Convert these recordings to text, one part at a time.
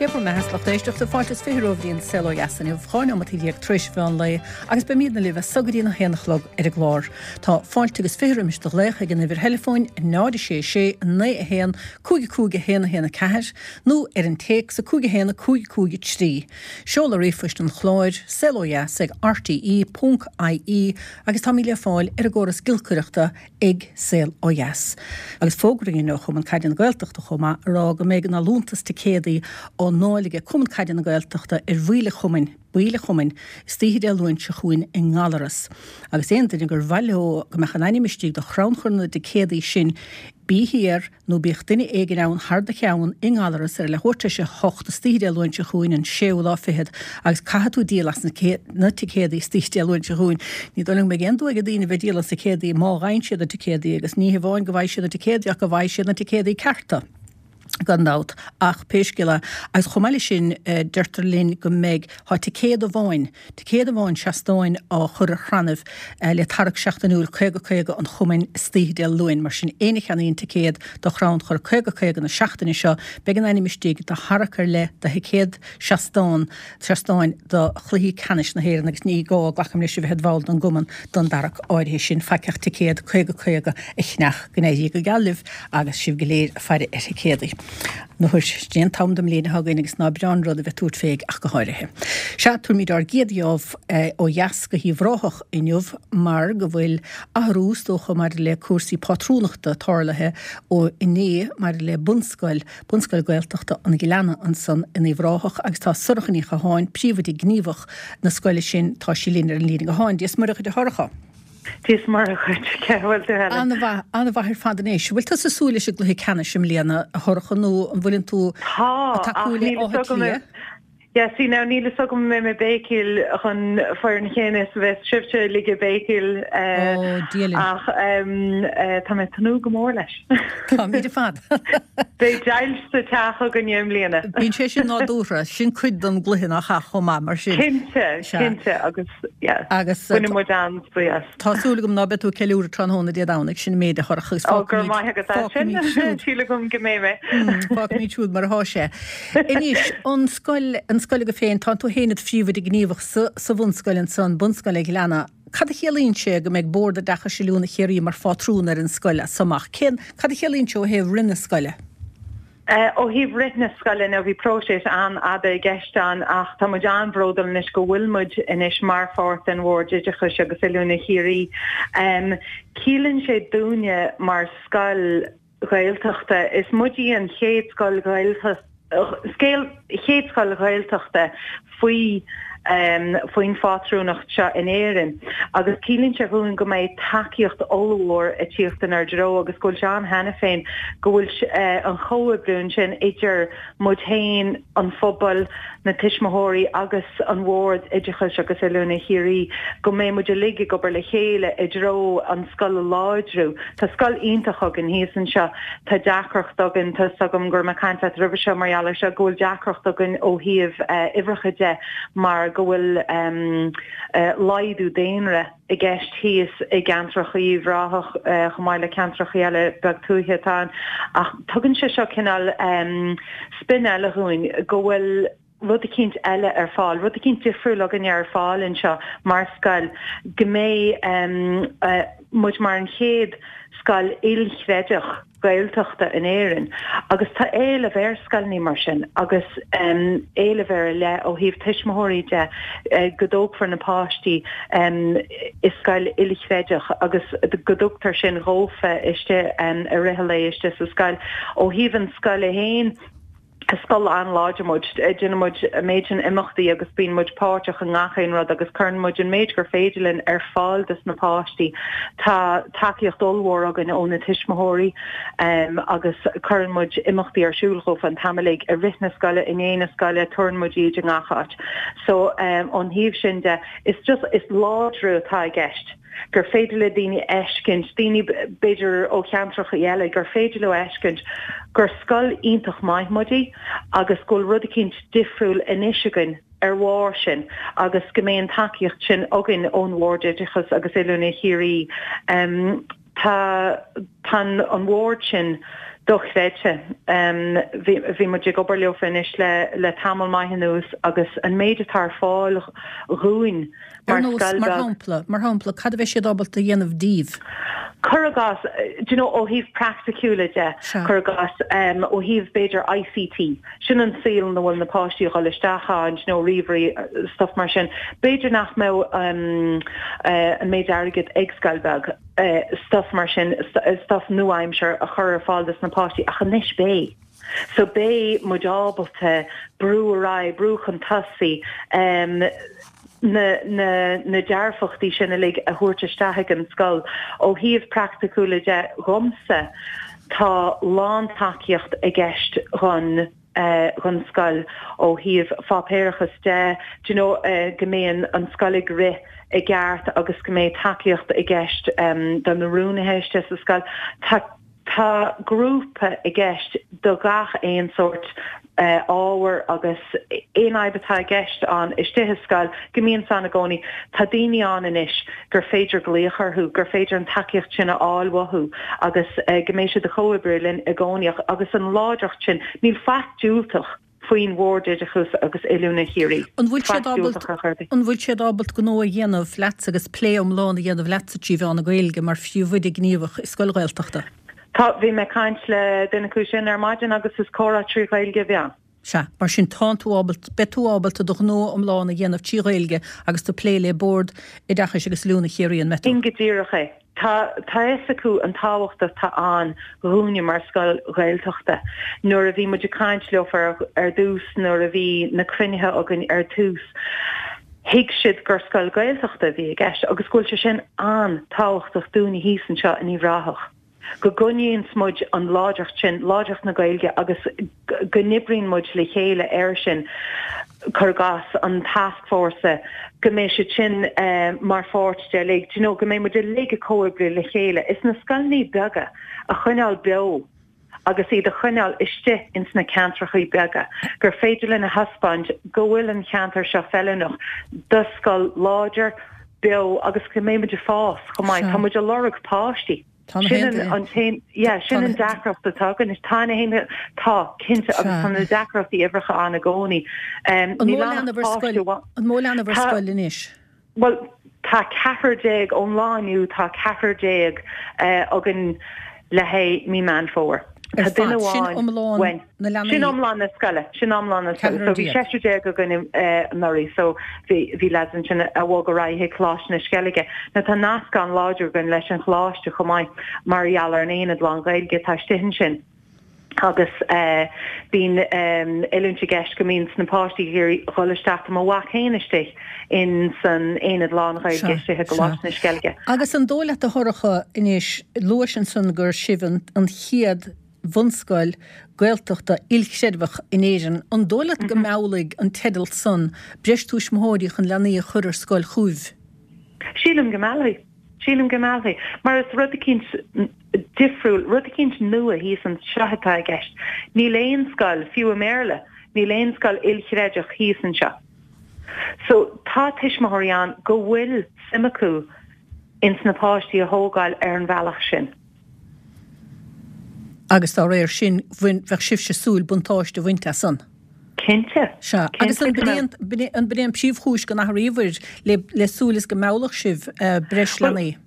Cé bhur mbeatha, a lucht éisteachta, fáilte is 20 romhaibh go dtí an Saol Ó Dheas inniu, 12 neomat tar éis mheán lae, agus beimidne libh as so go dtí an 1 a chlog ar an gclár. Tá fáilte agus 20 roimis do ghlaoch ag an uimhir theileafóin 0 6 6 9 1 5 5 1 1 4 nó ar an téacs 5 1 5 5 3. Seoladh ríomhphoist an chláir, saolodheas ag rte ponc ie agus táimid le fáil ar an gcóras giolcaireachta ag Saol Ó Dheas. Agus fógra againn ó Chumann Caide na Gaeltachta chomh maith a rá go mbeidh an allúntas ticéadaí á ndáileadh ag Cumann Caide na Gaeltachta ar bhaill an chumainn, baill an chumainn, istoíche Dé Luain seo chugainn i nGallaras. Agus aon duine gur mhaith leo go mbeadh a n-ainm istigh do chrannchur na dticéadaí sin, bí thiar nó bíodh duine éigin ann thar do cheann i nGallaras ar a leathuair tar éis a hocht istoíche Dé Luain seo chugainn, an séú lá fichead, agus caithfidh tú díol as na ticéadaí istoíche Dé Luain seo chugainn. Ní dóigh liom go mbeidh aon dua ag daoine bheith ag díol as ticéadaí má fhaigheann siad na ticéadaí, agus ní hamháin go bhfaighidh siad na ticéadaí ach go bhfaighidh siad na ticéadaí cearta, gan dabht. Ach pé scéal é, agus chomh maith leis sin, deirtear linn go mbeidh, tá ticéad amháin, Ticéad amháin seastáin á chur ar chrannaibh le tarrac seachtainiúil 50 50 an chumainn istoíche Dé Luain. Mar sin, éinne a cheannaíonn ticéad do chrannchur 50 50 na seachtaine seo, beidh a n-ainm istigh do tharrac ar leith do thicéad seastán seastáin do chluichí ceannais na hÉireann agus ní gá, glacaim leis, a bheith id bhall den gcumann don dtarrac áirithe sin. Faic ach ticéad 50 50 a cheannach. Go n-éirí go geal libh agus sibh go léir ag faire ar thicéadaí. Nuair, sin é an t-am den mbliain atá againn agus ná breá an rud a bheith ag tabhairt fé ach go háirithe. Sea, tabharfaimid ár gcéad gheábh ó dheas go hUíbh Ráthach inniu mar go bhfuil athrú, is dócha, maidir le cúrsaí pátrúnachta tarlaithe ó inné maidir le bunscoil, Bunscoil Gaeltachta an Ghleanna ansan in Uíbh Ráthach agus tá Sorcha Ní Chatháin, príomhoide gníomhach na scoile sin, tá sí linn ar an líne gutháin. Dia is Muire dhuit a Shorcha. Dia is Muire dhuit, cén chaoi a bhfuil tú Helen? An-mhaith, an-mhaith ar fad anois. Bhfuil tusa ag súil leis an gcluiche ceannais i mbliana, a Shorcha, nó an bhfuileann tú Tá, ag ach tacú le níl Áth fhios agam Cliath? Yeah, see now níl fhios agam an mbeidh mé ag béicíl chun foireann chéanna is a bheas sibhse uilig ag béicíl Ó, Dia linn. ach tá mé ag tnúth go mór leis. Táimid ar fad. Beidh deighilt sa teach againne i mbliana. Bíonn sé sin nádúrtha, sin cuid den gcluiche nach ea chomh maith, mar sin. Cinnte, cinnte agus yeah, Agus baineann muid an-spraoi as. tá súil agam ná beidh tú ag ceiliúradh tráthnóna Dé Domhnaigh, sin an méid a Shorcha agus Ó, go raibh fágfaimid, maith agat as sin. fágfaimid siúd. Síl agam go mbeidh mé. Fágfaimid siúd mar atá sé. Anois, an scoil, an scoil agaibh féin, tá tú féin id phríomhoide gníomhach sa, sa bhunscoil ansan, Bunscoil an Ghleanna. Cad a chiallaíonn sé go mbeidh Bord Oideachais Oiliúna Chiarraí mar phátrún ar an scoil as so amach? Cén, cad a chiallaíonn sé ó thaobh rith na scoile? Ó thaobh rith na scoile, now bhí próiseas an-fhada i gceist ann ach tá muid an-bhródúil anois go bhfuil muid anois mar pháirt den Bhord Oideachais agus Oiliúna Chiarraí. Ciallaíonn sé dúinne mar scoil Ghaeltachta, is muid í an chéad scoil chéad scoil Ghaeltachta faoi faoin phátrúnacht seo in Éirinn agus ciallaíonn sé dhúinn go mbeidh tacaíocht ollmhór ag tíocht inár dtreo agus go bhfuil sé ann cheana féin, go bhfuil an chomhoibriú ansin idir muid féin, an phobal, na tuismitheoirí agus an Bhord Oideachais agus Oiliúna Chiarraí, go mbeidh muid uilig ag obair le chéile i dtreo an scoil a láidriú. Tá scoil iontach againn thíos anseo. Tá deacracht againn, tá 'fhios agam go raibh mé ag caint leat roimhe seo mar gheall air seo, go bhfuil deacracht againn ó thaobh uimhreacha de mar go bhfuil laghdú daonra i gceist thíos i gceantracha Uíbh Ráthach chomh maith le ceantracha eile beag tuaithe atá ann. Ach tugann sé seo cineál spin eile dhúinn go bhfuil rud eicínt eile ar fáil, rud eicínt difriúil againne ar fáil anseo mar scoil, go mbeidh muid mar an chéad scoil ilchreidmheach Gaeltachta in Éirinn agus tá éileamh ar scoileanna mar sin agus éileamh ar leith ó thaobh tuismitheoirí de go dtógfar na páistí i scoil ilchreidmheach agus go dtugtar sin dhófa istigh i rith an lae istigh sa scoil. Ó thaobh an scoile féin, Is scoil an-láidir muid. Déanann muid an méid sin imeachtaí agus bíonn muid páirteach i ngach aon rud agus cuireann muid an méid gur féidir linn ar fáil dos na páistí. Tá tacaíocht ollmhór againn ó na tuismitheoirí agus cuireann muid imeachtaí ar siúl dhófa an t-am uilig, i rith na scoile, i ndiaidh na scoile, tabharann muid iad i ngach áit. So ón thaobh sin de, is just, is láidriú atá i gceist. gur féidir le daoine a fheiscint, daoine b'fhéidir ó cheantracha eile, gur féidir leo a fheiscint gur scoil iontach maith muid í agus go bhfuil rud eicínt difriúil anois againn ar bharr sin agus go mbeidh an tacaíocht sin againn ón Bhord Oideachais agus Oiliúna Chiarraí. Tá tá an Bhord sin. Dochreidte. Bhí muid ag obair leofa anois le tamall maith anuas agus an méid atá ar fáil dhúinn mar scoil beag. Mar shampla, mar shampla, cad a bheidh siad ábalta a dhéanamh daoibh? Cuir i gcás, do you know, ó thaobh praiticiúla de, cuir i gcás, ó thaobh b'fhéidir ICT, sin an saol ina bhfuil na páistí a dhul isteach ann, do you know, ríomhairí, stuff mar sin. B'fhéidir nach mbeadh an méid airgid ag scoil bheag. stuff mar sin, stuff nua-aimseartha a chur ar fáil dos na páistí ach anois beidh. So beidh muid ábalta brú ar aghaidh, brú chun tosaigh, na, na, na dearfachtaí sin uilig a thabhairt isteach ag an scoil. Ó thaobh praiticiúla de, dhomsa, tá lán-tacaíocht i gceist dhon, dhon scoil ó thaobh pháipéarachas de, do you know, go mbeidh an scoil ag rith i gceart agus go mbeidh tacaíocht i gceist do na rúnaithe istigh sa scoil. Tá tá grúpa i gceist do gach aon sórt ábhar agus aon fhadhb atá i gceist ann istigh sa scoil, go mbíonn ann i gcónaí. Tá daoine ann anois gur féidir glaoch orthu, gur féidir an tacaíocht sin a fháil uathu agus go mbeidh siad ag comhoibriú linn i gcónaí agus an láidreacht sin, níl faic diúltach faoin Bhord Oideachais agus Oiliúna Chiarraí. An bhfuil siad ábalta, an bhfuil siad ábalta gnó a dhéanamh leatsa agus plé iomlán a dhéanamh leatsa trí mheán na Gaeilge mar phríomhoide gníomhach i scoil Ghaeltachta? Tá, bhí mé ag caint le duine acu sin ar maidin agus is comhrá trí Ghaeilge a bhí ann. Sea, mar sin tánn tú ábalta, beidh tú ábalta do ghnó iomlán a dhéanamh trí Ghaeilge agus tú ag plé le Bord Oideachais agus Oiliúna Chiarraí, an mbeidh tú? Sin go díreach é. Tá tá fhios acu an tábhacht atá ann dhúinne mar scoil Ghaeltachta. Nuair a bhí muid ag caint leofa ar ar dtús, nuair a bhí na cruinnithe againn ar tús, thuig siad gur scoil Ghaeltachta a bhí i gceist agus go bhfuil sé sin an-tábhachtach dúinne thíos anseo in Uíbh Ráthach. go gcoinníonns muid an láidreacht sin, láidreacht na Gaeilge agus go n-oibríonn muid le chéile air sin, cuir i gcás, an tascfhórsa, go mbeidh siad sin mar pháirt de uilig, do you know, go mbeidh muid uilig ag comhoibriú le chéile. Is na scoileanna beaga a choinneáil beo agus iad a choinneáil istigh ins na ceantrachaí beaga, gur féidir linn a thaispeáint go bhfuil an cheantar seo feiliúnach do scoil láidir, beo agus go mbeidh muid ag fás chomh maith. Tá muid ag lorg páistí. Sin an t-aon, yeah, sin an deacracht atá againn. Tá na haon, tá, cinnte, agus tá na deacrachtaí uimhreacha ann i gcónaí. An mó leanbh ar scoil, an mó leanbh ar scoil anois? Bhuel, tá ceathrar déag, ón lá inniu tá ceathrar déag againn le haghaidh mí Meán Fómhair. Ar fad, sin iomlán na leanaí. Sin iomlán na scoile, sin iomlán na scoile. So bhí seisear déag againn anuraidh, so bhí bhí lads ansin a bhog ar aghaidh chuig Coláiste na Sceilge. Now tá nasc an-láidir againn leis an choláiste chomh maith mar gheall ar an aonad lán-Ghaeilge atá istigh ansin. Agus bíonn oiliúint i gceist go mbíonn na páistí ag iarraidh dhul isteach, tá mo mhac féin istigh in san aonad lán-Ghaeilge istigh i gColáiste na Sceilge. Agus an dóigh leat a Shorcha anois, luais ansan gur sibh an chéad bhunscoil Gaeltachta ilchreidmheach in Éirinn, an dóigh leat go meallfaidh an teideal san breis tuismitheoirí chun leanaí a chur ar scoil chugaibh? Sílim go meallfaidh. Sílim go meallfaidh. Mar is rud eicínt difriúil, rud eicínt nua thíos anseo atá i gceist. Níl aon scoil, fiú i mBéarla, níl aon scoil ilchreidmheach thíos anseo. So tá tuismitheoirí ann go bhfuil suim acu ins na páistí a thógáil ar an bhealach sin. Agus dá réir sin, bheadh sibhse ag súil buntáiste a bhaint as san. Cinnte. Sea. Agus an b'in an b'in é an príomhchúis go n-athraíobhair le le súil is go meallfadh sibh breis leanaí?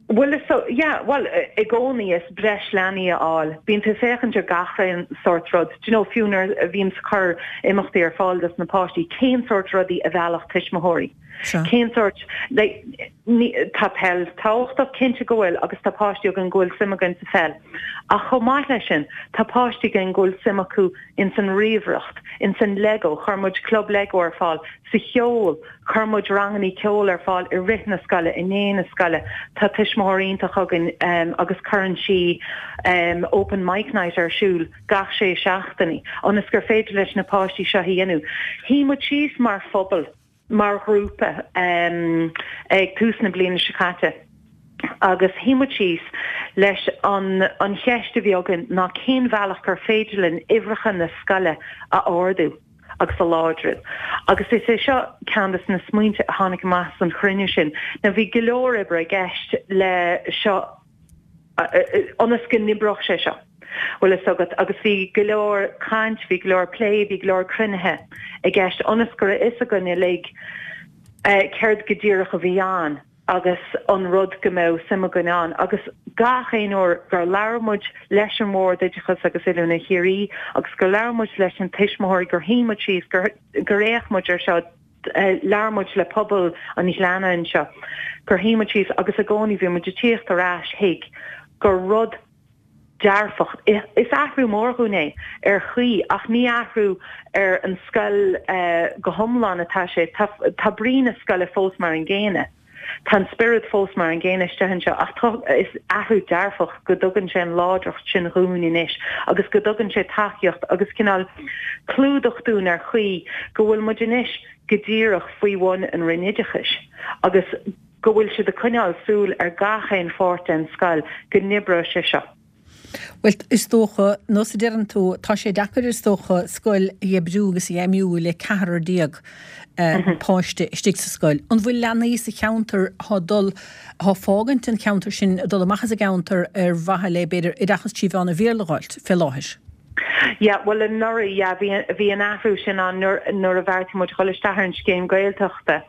Bhuel, is so, yeah, bhuel, i gcónaí is breis leanaí a fháil. Bíonn tú ag féachaint ar gach aon sórt rud. Do you know, fiú nuair a bhíonns ag cur imeachtaí ar fáil dos na páistí, cén sórt rudaí a mheallfadh tuismitheoirí? Cén sórt, like, ní, tá peil tábhachtach, cinnte go bhfuil, agus tá páistí againn go bhfuil suim againn sa pheil. Ach chomh maith leis sin, tá páistí againn go bhfuil suim acu ins an ríomhaireacht, ins an Lego, chuir muid club Lego ar fáil, sa cheol, chuir muid rangannaí ceoil ar fáil i rith na scoile, i ndiaidh na scoile. Tá tuismitheoir iontach againn agus cuireann sí open mic night ar siúl gach sé seachtainí, ionas gur féidir leis na páistí seo a dhéanamh. Shuigh muid síos mar phobal. mar ghrúpa ag tús na bliana seo caite agus shuigh muid síos leis an an cheist a bhí againn ná cén bhealach gur féidir linn uimhreacha na scoile a ardú agus a láidriú. Agus is é seo ceann de na smaointe a tháinig amach as an chruinniú sin. Now bhí go leor oibre i gceist le seo ionas go n-oibreodh sé seo. Bhfuil fhios agat, agus bhí go leor caint, bhí go leor plé, bhí go leor cruinnithe i gceist ionas go raibh fhios againn uilig céard go díreach a bhí ann agus an rud go mbeadh suim againn ann. Agus gach aon uair gur labhair muid leis an Bhord Oideachais agus Oiliúna Chiarraí agus gur labhair muid leis na tuismitheoirí, gur shuigh muid síos, gur gur fhéach muid ar seo, labhair muid le pobal an Ghleanna anseo, gur shuigh muid síos agus i gcónaí bhí muid ag tíocht ar ais chuig gur rud dearfach. Is athrú mór dhúinn é ar chaoi ach ní athrú ar an scoil go hiomlán atá sé. Tá brí na scoile fós mar an gcéanna. Tá an spiorad fós mar an gcéanna istigh anseo ach tá, is athrú dearfach go dtugann sé an láidreacht sin dhúinn anois agus go dtugann sé tacaíocht agus cineál clúdach dúinn ar chaoi go bhfuil muid anois go díreach faoi bhun an Roinn Oideachais agus go bhfuil siad ag coinneáil súil ar gach aon pháirt den scoil go n-oibreoidh sé seo. Bhuel, is dócha, nós a deireann tú, tá sé deacair is dócha scoil a oibriú agus a fheidhmiú le ceathrar déag páiste istigh sa scoil. An bhfuil leanaí sa cheantar atá dul, atá fágaint an cheantair sin, ag dul amach as an gceantar ar mhaithe le, b'fhéidir, oideachas trí mheán an Bhéarla a dh'fháilt fé láthair? Yeah, bhuel anuraidh, yeah, bhí, bhí an athrú sin ann nuair, nuair a bheartaigh muid dhul isteach ar an scéim Gaeltachta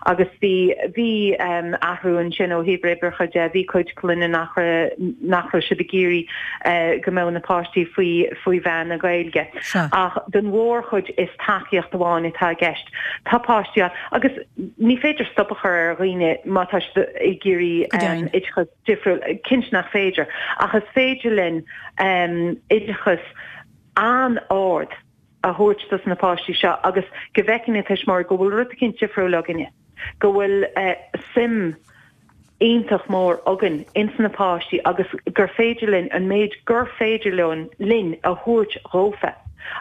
agus bhí, bhí um, athrú ansin ó thaobh uimhreacha de, bhí cuid clainne nach raibh, nach raibh siad ag iarraidh uh, go mbeadh na páistí faoi, faoi mheán na Gaeilge. Sea. Ach don mhórchuid is tacaíocht amháin atá i gceist. Tá páistí ann agus ní féidir stop a chur ar dhaoine má tá siad ag iarraidh Go deimhin. um, oideachas difriúil, cinnte nach féidir, ach is féidir linn oideachas an-ard a thabhairt dos na páistí seo agus go bhfeiceann na tuismitheoirí go bhfuil rud eicínt difriúil againne, go bhfuil suim iontach mór againn ins na páistí agus gur féidir linn an méid gur féidir linn a thabhairt dhófa.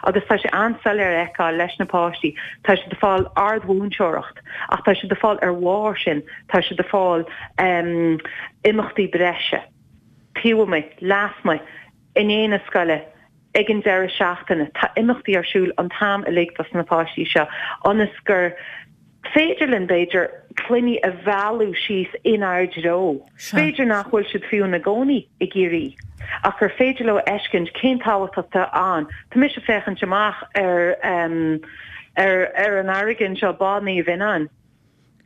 Agus tá sé an-soiléir a fheiceáil leis na páistí, tá siad ag fáil ardmhúinteoireacht ach tá siad ag fáil ar bharr sin, tá siad ag fáil imeachtaí breise taobh amuigh, lasmuigh, i ndiaidh na scoile, ag an deireadh seachtaine. Tá imeachtaí ar siúl an t-am uilig dos na páistí seo ionas gur féidir linn, b'fhéidir, clainní a mhealladh síos inár dtreo. B'fhéidir nach bhfuil siad fiú ina gcónaí i gCiarraí ach gur féidir leo a fheiscint cén tábhacht atá ann. Tá mise ag féachaint amach ar ar ar an fharraige anseo, Bá Naomh Fhionnáin.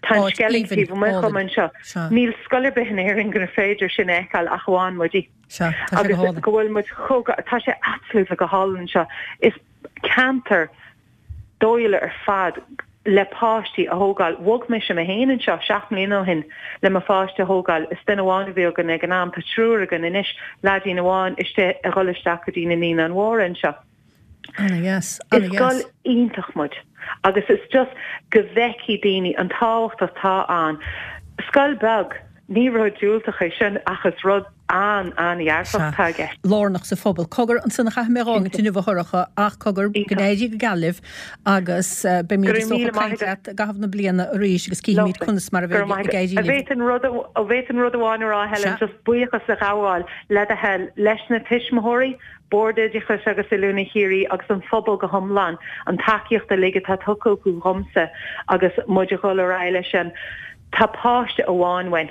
Tá an Áit Sceilg aoibhinn, taobh amuigh dhom álainn. anseo. Sea. Níl scoil ar bith in Éirinn gur féidir sin a fheiceáil ach amháin muide. Sea, tá sé go Agus hálainn. go bhfuil muid chomh, tá sé absolutely go hálainn anseo. Is ceantar dóighiúil ar fad le páistí a thógáil. Bhog mise mé féin anseo 7 mbliana ó shin le mo pháiste a thógáil. Is duine amháin a bhí againn ag an am. Tá triúr againn anois, leaidín amháin istigh ag dhul isteach go dtí na Naíonáin Mhóra anseo. Ana-dheas, Is ana-dheas. scoil iontach muid agus is just go bhfeicfidh daoine an tábhacht atá ann. Scoil beag, ní rud diúltach é sin ach is rud an-an-dhearfach Sea. atá i gceist. Lárnach sa phobal. Cogar, ansan a chaithfidh mé a dh'fhágaint inniu a Shorcha ach cogar, go Iontach. n-éirí go geal libh agus Go beimid raibh is dócha míle ag maith caint agat. leat i gcaitheamh na bliana arís agus cífimid Lovely. conas mar a Go raibh bheidh maith ag agat. éirí A libh. bhféadfainn rud, a bhféadfainn rud amháin a rá Helen, Sea. just buíochas a ghabháil le do thoil leis na tuismitheoirí, Bord Oideachais agus Oiliúna Chiarraí agus an phobal go hiomlán, an tacaíocht uilig atá tugtha acu dhomsa agus muid a dhul ar aghaidh leis sin. Tá páiste amháin uainn.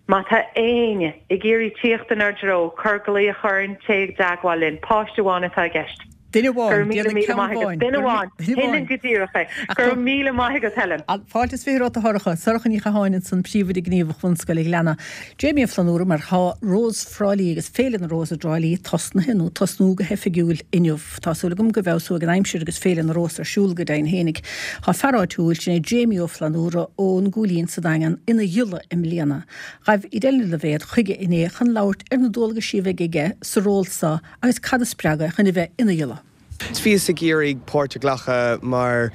Má tá éinne ag iarraidh tíocht inár dtreo, cuir glaoch orainn, téigh i dteagmháil linn. Páiste amháin atá i gceist. Duine Go amháin, raibh míle déanfaidh míle ceann maith agat. amháin. Duine Go raibh amháin. duine Shin amháin. go díreach é. Ach Go tá raibh míle maith agat, Helen. Fáilte is 20 romhat a Shorcha. Sorcha Ní Chatháin ansan, Príomhoide Gníomhach Bhunscoil an Ghleanna. Jamie Ó Flannúra, mar tá Rós Thrá Lí agus Féile na Rós i dTrá Lí tosnaithe, nó tosnú go hoifigiúil inniu. Tá súil agam go bhfeabhsóidh an aimsir agus Féile na Rós ar siúl go deimhin fhéinig. Tá fear áitiúil, sin é Jamie Ó Flannúra ón gCúilín sa Daingean, ina ghiolla i mbliana. Ghaibh Edel Ní Loibhéad chuige inné chun labhairt ar na dualgaisí a bheidh aige sa ról so agus cad a spreag é chun a bheith ina ghiolla. Bhíos ag iarraidh páirt a ghlacadh mar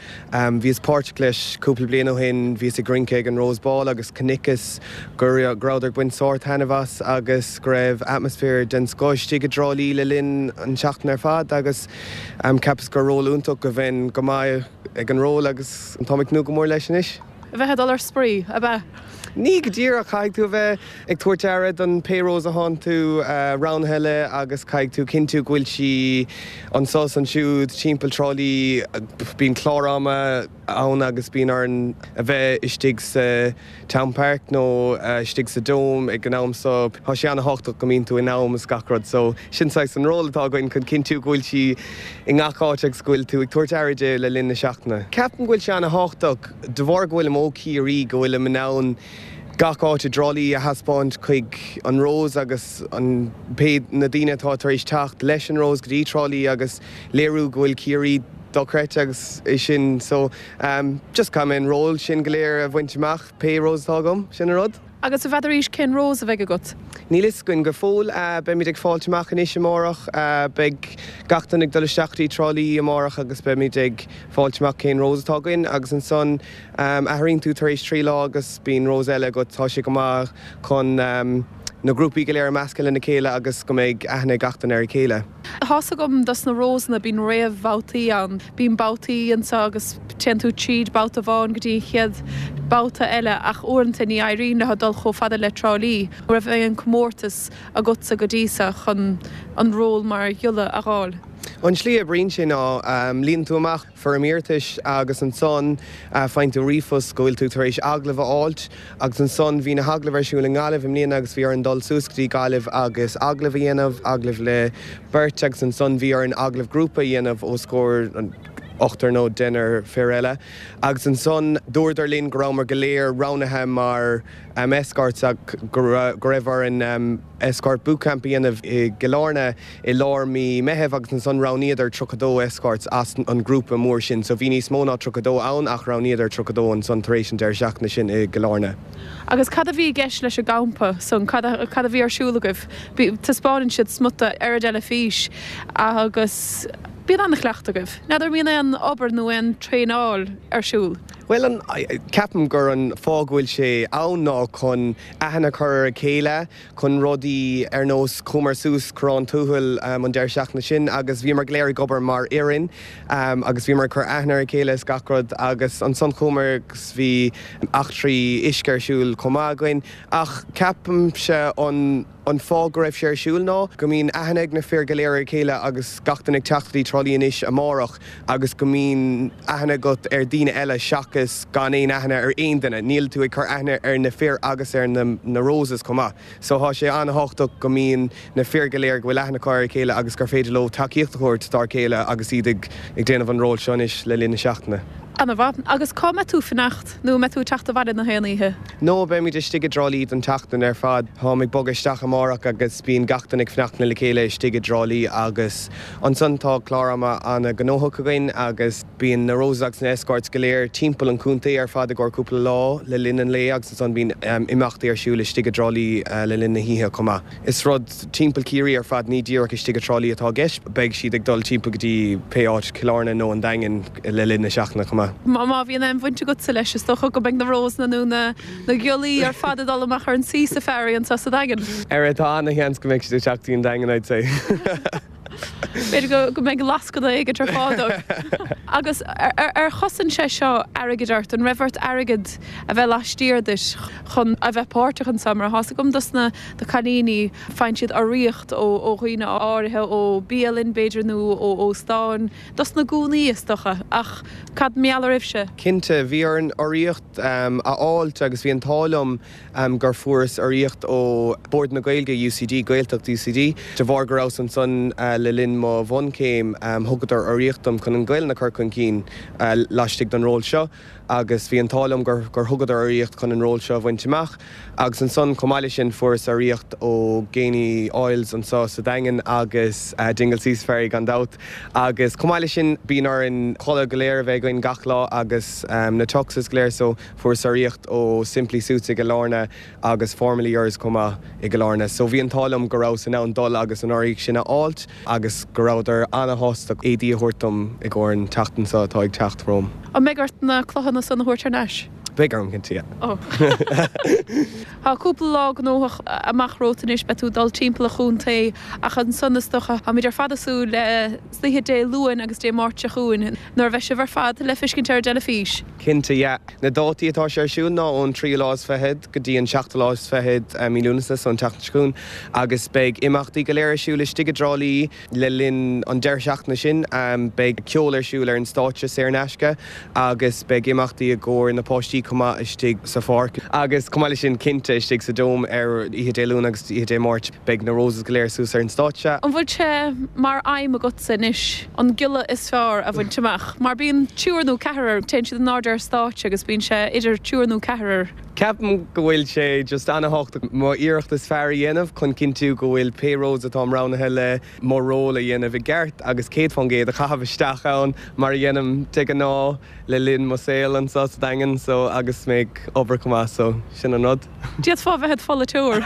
bhíos páirteach leis cúpla bliain ó shin, bhíos ag rince ag an Rose Ball agus chonaiceas go rabhadar ag baint sórt taitneamh as agus go raibh atmaisféar den scoth istigh i dTrá Lí le linn an tseachtain ar fad agus cheapas gur ról iontach go bheinn go maith ag an ról agus táim ag tnúth go mór leis anois. A bheith ag dul ar spraoi, ab ea? Ní go díreach, caithfidh tú a bheith ag tabhairt aire don pé rose a thánn tú roghnaithe le agus caithfidh tú cinntiú go bhfuil sí anso is ansiúd timpeall Trá Lí. Bíonn clár ama ann agus bíonn orainn a bheith istigh sa Town Park nó istigh sa Dome ag an am so tá sé ana-thábhachtach go mbíonn tú in am is gach rud so sin saghas an ról atá againn chun cinntiú go bhfuil sí i ngach áit agus go bhfuil tú ag tabhairt aire di le linn na seachtaine. Ceapaim go bhfuil sé ana-thábhachtach de bharr go bhfuilim ó Chiarraí go bhfuilim in ann gach áit i dTrá Lí a thaispeáint chuig an Rose agus an pé na daoine atá tar éis teacht leis an Rose go dtí Trá Lí agus léiriú go bhfuil Ciarraí dochreidte agus é sin so just caithfidh mé an ról sin go léir a bhaint amach pé rose atá agam, sin an rud. Agus an bhfeadaraís cén rose a bheidh agat? Níl fhios againn go fóill. Beimid ag fáilt amach anois amárach. Beidh gach duine ag dul isteach dtí Trá Lí amárach agus beimid ag fáilt amach cén rose atá againn agus ansan athraíonn tú tar éis 3 lá agus bíonn rose eile agat. Tá sé go maith chun na grúpaí go léir a meascadh lena chéile agus go mbeidh aithne ag gach duine ar a chéile. Tá's agam dos na rósanna bíonn réamhbhabhtaí ann. Bíonn babhtaí anseo agus téann tú tríd babhta amháin go dtí an chéad babhta eile ach uaireanta ní éiríonn leo dul chomh fada le Trá Lí. An raibh aon comórtas agatsa go dtí seo chun an ról mar ghiolla a dh'fháil? An tslí a oibríonn sé ná líonann tú amach foirm iarratais agus ansan faigheann tú ríomhphost go bhfuil tú tar éis agallamh a fháilt agus ansan bhí na hagallaimh ar siúl i nGaillimh i mbliana agus bhí orainn dul suas go dtí Gaillimh agus agallamh a dhéanamh, agallamh le beirt agus ansan bhí orainn agallamh grúpa a dhéanamh os comhair ochtar nó deichniúr fir eile agus ansan dúradar linn go rabhamar go léir roghnaithe mar escorts ach go raibh orainn escort bootcamp a dhéanamh i gCill Airne i lár mí Meitheamh agus ansan roghnaíodar 32 escorts as an grúpa mór sin. So bhí níos mó ná 32 ann ach roghnaíodar 32 ansan tar éis an deireadh seachtaine sin i gCill Airne. Agus cad a bhí i gceist leis an gcampa san? Cad a cad a bhí ar siúl agaibh? Taispeánann siad smut ar an dteilifís agus bíonn an-chleachtadh agaibh. N'fheadar an mbíonn aon obair nó aon traenáil ar siúl? Bhuel an, ceapaim gur an fáth go bhfuil sé ann ná chun aithne a chur ar a chéile, chun rudaí ar nós chuamar suas Corrán Tuathail an deireadh seachtaine sin agus bhíomar go léir ag obair mar fhoireann agus bhíomar ag cur aithne ar a chéile is gach rud agus ansan chuamar agus bhí eachtraí uisce ar siúl chomh maith againn ach ceapaimse an an fáth go raibh sé ar siúl ná go mbíonn aithne ag na fir go léir ar a chéile agus gach duine ag teacht go dtí Trá Lí anois amárach agus go mbíonn aithne agat ar daoine eile seachas gan aon aithne ar aon duine. Níl tú ag cur aithne ar na fir agus ar na na roses chomh maith. So thá sé an-thábhachtach go mbíonn na fir go léir, go bhfuil aithne acu ar a chéile agus gur féidir leo tacaíocht a thabhairt dár chéile agus iad ag ag déanamh an ról seo anois le linn na seachtaine. Ana-mhaith. Agus cá mbeidh tú fanacht? Nó an mbeidh tú ag teacht abhaile na haon oíche? No, beimid istigh i dTrá Lí don tseachtain ar fad. Táim ag bogadh isteach amárach agus bíonn gach duine ag fanacht le chéile istigh i dTrá Lí agus ansan tá clár ama ana-ghnóthach againn agus bíonn na Roses agus na Escorts go léir timpeall an chontae ar fad i gcomhair cúpla lá le linn an lae agus ansan bíonn imeachtaí ar siúl istigh i dTrá Lí le linn na hoíche chomh maith. Is rud timpeall Ciarraí ar fad, ní díreach istigh i dTrá Lí atá i gceist. Beidh siad ag dul timpeall go dtí pé áit, Cill Airne nó an Daingean le linn na seachtaine chomh maith. Má bhíonn aon bhaint agatsa leis, is dócha go mbeidh na Rósanna nó na Giollaí ar fad ag dul amach ar an Sea Safari anseo sa Daingean. Ar, tá ana-sheans go mbeidh siad ag teacht go dtí an Daingean, I'd say. B'fhéidir go mbeidh lascaine éigin ar fáil dóibh. Agus ar chosain sé seo airgead ort? An raibh ort airgead a bheith laistiar duit chun a bheith páirteach anseo? Mar tá's agam dos na cailíní, faigheann siad urraíocht ó dhaoine áirithe, ó bialann b'fhéidir nó ó óstáin, dos na gúnaí is dócha. Ach cad mar gheall oraibhse? Cinnte, bhí orainn urraíocht a fháilt agus bhí an t-ádh liom gur fuaireas urraíocht ó Bord na Gaeilge UCD, Gaeltacht UCD. De bharr go rabhas ansan le linn mo bhunchéim, thugadar urraíocht dom chun an Ghaelainn a chur chun cinn laistigh den ról seo agus bhí an t-ádh liom gur thugadar urraíocht chun an ról seo a bhaint amach. Agus ansan, chomh maith leis sin, fuaireas urraíocht ó Geaney Oils anso sa Daingean agus Dingle Sea Safari gan dabht. Agus chomh maith leis sin, bíonn orainn culaith go léir a bheith againn gach lá agus na tuxes go léir so, Fuaireas urraíocht ó Simply Suits i gCill Airne agus Formally Yours chomh maith i gCill Airne. So bhí an t-ádh liom go rabhas in ann dul agus an urraíocht sin a fháilt agus go rabhadar ana-shásta éadaí a thabhairt dom i gcomhair an tseachtain seo atá ag teacht romham. An mbeidh ort na cloghanna san a thabhairt thar n-ais? Beidh orm, cinnte, yeah. Oh. Tá cúpla lá gnóthach amach romhat anois, beidh tú ag dul timpeall an chontae ach ansan is dócha, táimid ar fad ag súil le hoíche Dé Luain agus Dé Máirt seo chugainn nuair a bheidh sibh ar fad le feiscint ar an dteilifís. Cinnte, yeah. Na dátaí atá sé ar siúl ná ón tríú lá is fichead go dtí an seachtú lá is fichead mí Lúnasa, so an tseachtain seo chugainn, agus beidh imeachtaí go léir ar siúl istigh i dTrá Lí. Le linn an deireadh seachtaine sin, beidh ceol ar siúl ar an stáitse saor in aisce agus beidh imeachtaí i gcomhair na páistí chomh maith istigh sa pháirc. Agus chomh maith leis sin, cinnte, istigh sa Dome ar oíche Dé Luain agus oíche Dé Máirt, beidh na Roses go léir suas ar an stáitse. An bhfuil sé mar aidhm agatsa anois an giolla is fearr a bhaint amach? Mar bíonn triúr nó ceathrar, téann siad in airde ar stáitse agus bíonn sé idir triúr nó ceathrar. Ceapaim go bhfuil sé just ana-thábhachtach mo iarracht is fearr a dhéanamh chun cinntiú go bhfuil pé Rose atáim roghnaithe le mo ról a dhéanamh i gceart agus 100% a chaitheamh isteach ann mar a dhéanaim de ghnáth le linn mo saol anseo sa Daingean so agus mé ag obair chomh maith so sin an rud. D'fhéadfá a bheith id pholaiteoir.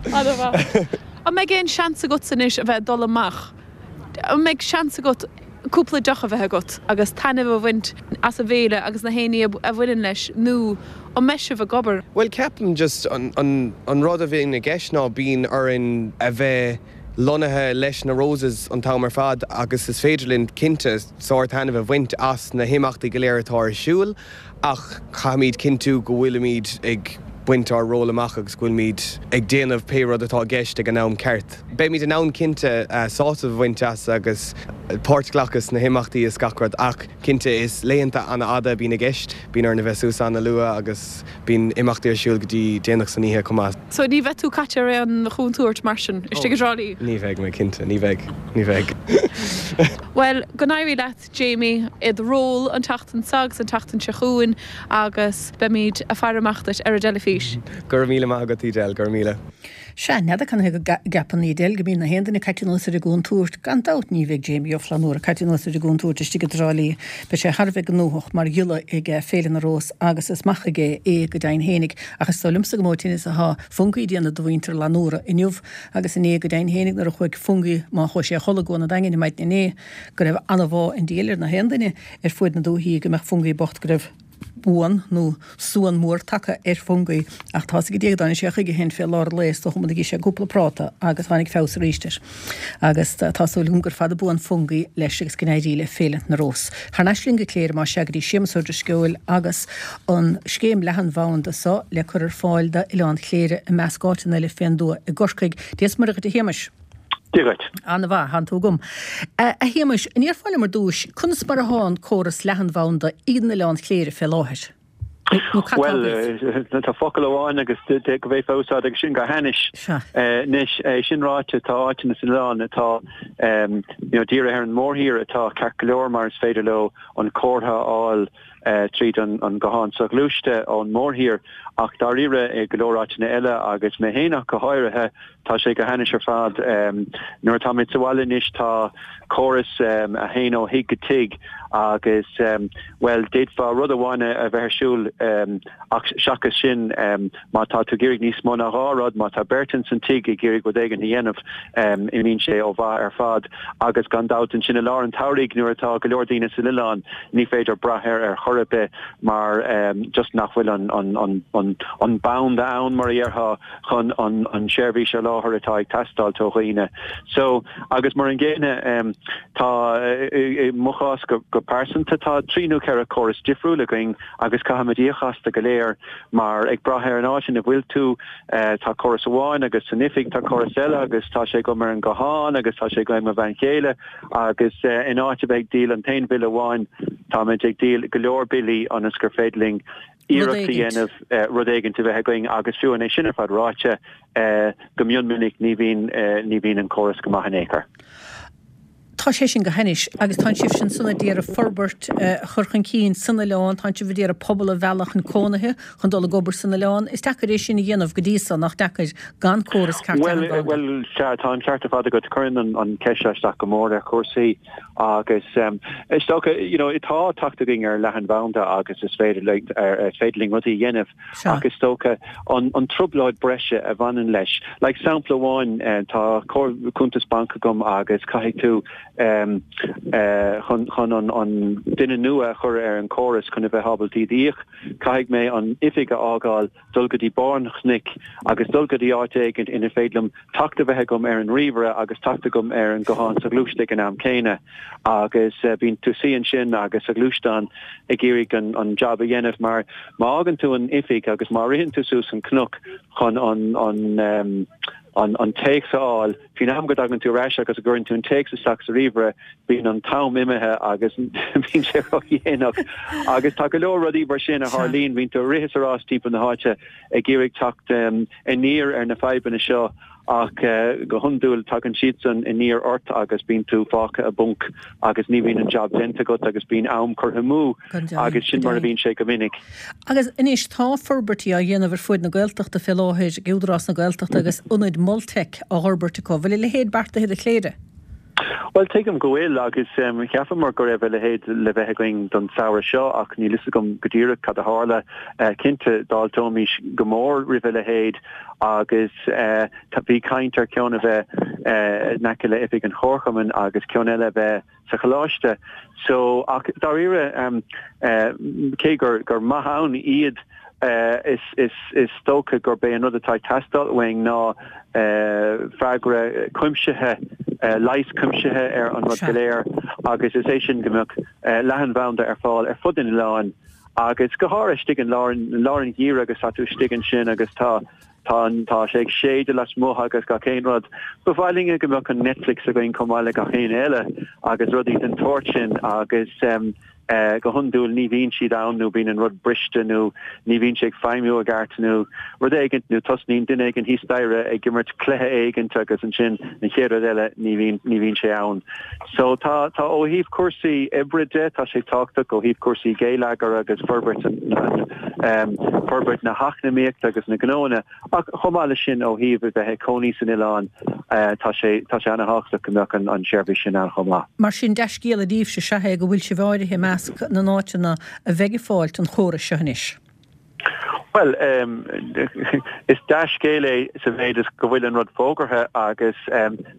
Ana-mhaith. An mbeidh aon seans agatsa anois a bheith ag dul amach? An mbeidh seans agat cúpla deoch a bheith agat agus taitneamh a bhaint as an bhféile agus na haon ní a bhaineann leis nó an mbeidh sibh ag obair? Bhuel ceapaim just an rud a bhíonn i gceist ná bíonn orainn a bheith lonnaithe leis na Roses an t-am ar fad agus is féidir linn cinnte sár-taitneamh a bhaint as na himeachtaí go léir atá ar siúl Ach caithfimid cinntiú go bhfuilimid ag baint ár ról amach agus go bhfuilimid ag déanamh pé rud atá i gceist ag an am ceart. Beimid in ann cinnte sásamh a bhaint as agus páirt a ghlacadh sna himeachtaí is gach rud ach cinnte is laethanta an-fhada a bhíonn i gceist. Bíonn orainn a bheith suas an-luath agus bíonn imeachtaí ar siúl go dtí déanach san oíche chomh maith. So ní bheidh tú caite ar aon chontúirt mar sin istigh i dTrá Lí? Ní bheidh mé cinnte, ní bheidh, ní bheidh. Bhuel, go n-éirí leat. Jamie, i do ról an tseachtain seo agus an tseachtain seo chugainn agus beimid a' faire amach duit ar an dteilifís. Go raibh míle maith agat, Edel, go raibh míle. Sea, n'fheadar canathaobh go gceapann Edel go mbíonn na haon duine caite anuas ar an gcontúirt. Gan dabht ní bheidh Jamie Ó Flannúra caite anuas ar an gcontúirt istigh i dTrá Lí. Beidh sé thar a bheith gnóthach mar ghiolla ag Féile na Rós agus is maith aige é go deimhin fhéinig. Ach is dóigh liomsa gur mó tinneas atá Fungie ag déanamh do mhuintir Fhlannúra inniu agus inné go deimhin fhéinig nuair a chuaigh Fungie, má chuaigh sé a chodladh i gCuan an Daingin ar maidin inné, go raibh ana-bhá an diabhail ar na haon duine ar fuaid na dúichí go mbeadh Fungie bocht, go raibh buan nó suan mór tagtha ar Fungie. Ach tá's ag Dia go dtáinig sé chuige féin fé lár an lae, is dócha d'ith sé cúpla práta agus tháinig feabhas arís air. Agus tá súil agam gur fada buan Fungie leis agus go n-éirí le Féile na Rós. Thar n-ais linn go Cléire más ea go dtí Séamus Ó Drisceoil agus an scéim leathanbhanda so le cur ar fáil d'Oileán Chléire i measc áiteanna eile fén dtuath i gCorcaigh. Dia 's Muire dhuit a Shéamais. Dia dhuit. Ana-mhaith, thánn tú agam. A Shéamais, an ndéarfá liom ar dtúis, conas mar athá an córas leathanbhanda in Oileán Chléire fé láthair? Nó cad tá agaibh? Bhuel, tá focal amháin agus go bhféadfá a úsáid agus sin go hainnis. Sea. Anois, é sin ráite, tá áiteanna san oileán atá, you know, dírithe ar an mórthír atá ceart go leor mar is féidir leo an comhartha a fháil tríd an guthán soghluaiste ón mórthír ach dáiríre i go leor áiteanna eile agus mé féin ach go háirithe tá sé go hainnis ar fad. Nuair atáimid sa bhaile anois tá córas a théann ó thigh go tigh agus bhuel d'fhéadfá rud amháin a bheith ar siúl ach seachas sin má tá tú ag iarraidh níos mó ná dhá rud, má tá beirt ins an tigh ag iarraidh rud éigin a dhéanamh, imíonn sé ó mhaith ar fad. Agus gan dabht ansin i lár an tsamhraidh nuair atá go leor daoine san oileán, ní féidir brath air ar chor ar bith mar just nach bhfuil an banda ann, mar a dhéarfá, chun an seirbhís a sholáthar atá ag teastáilt ó dhaoine. So, agus mar an gcéanna, tá, i mo chás go pearsanta, tá trí nó ceithre córas difriúil againn agus caithfimid íoc astu go léir mar ag brath ar an áit ina bhfuil tú, tá córas amháin agus san oifig tá córas eile agus tá sé agam ar an nguthán agus tá sé agam ag mo bhean chéile agus in áit a bheith ag díol an t-aon bhille amháin táimid ag díol go leor billí ionas gur féidir linn iarracht a dhéanamh rud éigin a bheith againn agus fiú é sin ar fad ráite go mion minic ní bhíonn ní bhíonn an córas go maith in aon chor. Tá sé sin go hainnis agus tánn sibhse ansan a d'iarraidh forbairt a chur chun cinn san oileán, tánn sibh a d'iarraidh pobal a mhealladh chun cónaithe, chun dul ag obair san oileán. Is deacair é sin a dhéanamh go dtí so, nach deacair, gan córas ceart leathanbhanda? Bhuel, sea, tá an ceart ar fad agat. Cuireann an cheist seo isteach go mór ar chúrsaí agus is dócha, you know, tá teacht againn ar leathanbhanda agus is féidir is féidir linn rudaí a dhéanamh ach is dócha an an trioblóid breise a bhaineann leis. Like sampla amháin, tá cuntas banc agam agus caithfidh tú. Chun chun an an duine nua a chur ar an chóras chun a bheith ábalta iad a íoc, caithfidh mé an oifig a fhágáil, dul go dtí barr an chnoic agus dul go dtí áit éigint inar féidir liom teacht a bheith agam ar an ríomhaire agus teacht agam ar an guthán soghluaiste ag an am céanna. Agus bíonn tú suí ansin agus sa ghluaisteán ag iarraidh an an jab a dhéanamh mar má fhágann tú an oifig agus má ritheann tú suas an cnoc chun an an an an téacs a fháil, Faoin am go dtagann tú ar ais agus go gcuireann tú an téacs isteach sa ríomhaire, bíonn an t-am imithe agus bíonn sé ródhéanach. Agus tá go leor rudaí mar sin a tharlaíonn, bíonn tú ag rith is ag rás timpeall na háite ag iarraidh teacht aniar ar na fadhbanna seo ach go hiondúil tagann siadsan aniar ort agus bíonn tú fágtha i bponc agus ní bhíonn an jab déanta agat agus bíonn am curtha amú agus sin mar a bhíonn sé go minic. Agus anois tá forbairtí á dhéanamh ar fuaid na Gaeltachta fé láthair ag Údarás na Gaeltachta agus ionaid Moltech á bhforbairt acu. Bhfuil a leithéid beartaithe do Chléire? Bhuel, tuigim go bhfuil agus cheapamar go raibh a leithéid le bheith againn don samhradh seo ach níl fhios agam go díreach cad a tharla. Cinnte, d'fháilteoimis go mór roimh a leithéid agus bhí caint ar cheann a bheith in aice le oifig an Chomharchumainn agus ceann eile a bheith sa choláiste. So, ach dáiríre, cé gur gur maith ann iad, is is is dócha gurb é an rud atá ag teastáil uainn ná freagra cuimsithe, leigheas cuimsithe ar an rud go léir agus is é sin go mbeadh leathanbhanda ar fáil ar fud an oileáin agus go háirithe istigh in lár lár an gheimhridh agus tá tú istigh ansin agus tá Tá an, tá sé ag séideadh lasmuigh agus gach aon rud. Ba mhaith linne go mbeadh an Netflix againn chomh maith le gach éinne eile agus rudaí den tsórt sin agus go hiondúil ní bhíonn siad ann nó bíonn an rud briste nó ní bhíonn sé ag feidhmiú i gceart nó rud éigint nó tosnaíonn duine éigin thíos staighre ag imirt cluiche éigint agus ansin an chéad rud eile ní bhíonn, ní bhíonn sé ann. So tá, tá ó thaobh cúrsaí oibre de, tá sé tábhachtach ó thaobh cúrsaí geilleagair agus forbairt an, forbairt na heacnamaíochta agus na gnóanna ach chomh maith leis sin ó thaobh a bheith ag cónaí san oileán tá sé, tá sé ana-thábhachtach go mbeadh an, an tseirbhís sin ann chomh maith. Mar sin, dea-scéala daoibhse is ea é go bhfuil sibh áirithe i measc na n-áiteanna a bheidh ag fáilt an chórais seo anois. Bhuel, is dea-scéal é sa mhéid is go bhfuil an rud fógartha agus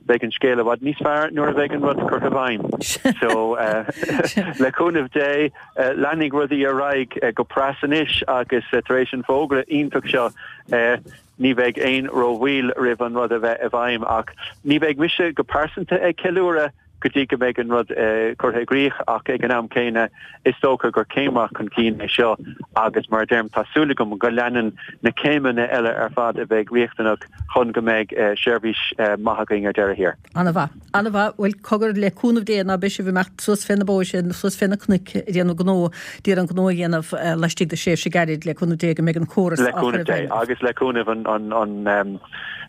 beidh an scéal i bhfad níos fearr nuair a bheidh an rud curtha i bhfeidhm. So, le cúnamh Dé, leanfaidh rudaí ar aghaidh go pras anois agus tar éis an fógra iontach seo, ní bheidh aon rómhoill roimh an rud a bheith i bhfeidhm. Ach ní bheidh mise go pearsanta ag ceiliúradh. go dtí go mbeidh an rud curtha i gcrích ach ag an am céanna is dócha gur céim mhaith chun cinn é seo agus mar a deirim tá súil agam go leanann na céimeanna eile ar fad a bheidh riachtanach chun go mbeidh seirbhís maith againn ar deireadh thiar. An-mhaith. An-mhaith. Bhuel, cogar, le cúnamh Dé ná beidh sibh ag imeacht suas fé na bóithre, suas fé na cnoic ag déanamh gnó, d'iarraidh an gnó a dhéanamh laistigh de thréimhse gairid, le cúnamh Dé go mbeidh an córas á chur i bhfeidhm. Le cúnamh Dé agus le cúnamh an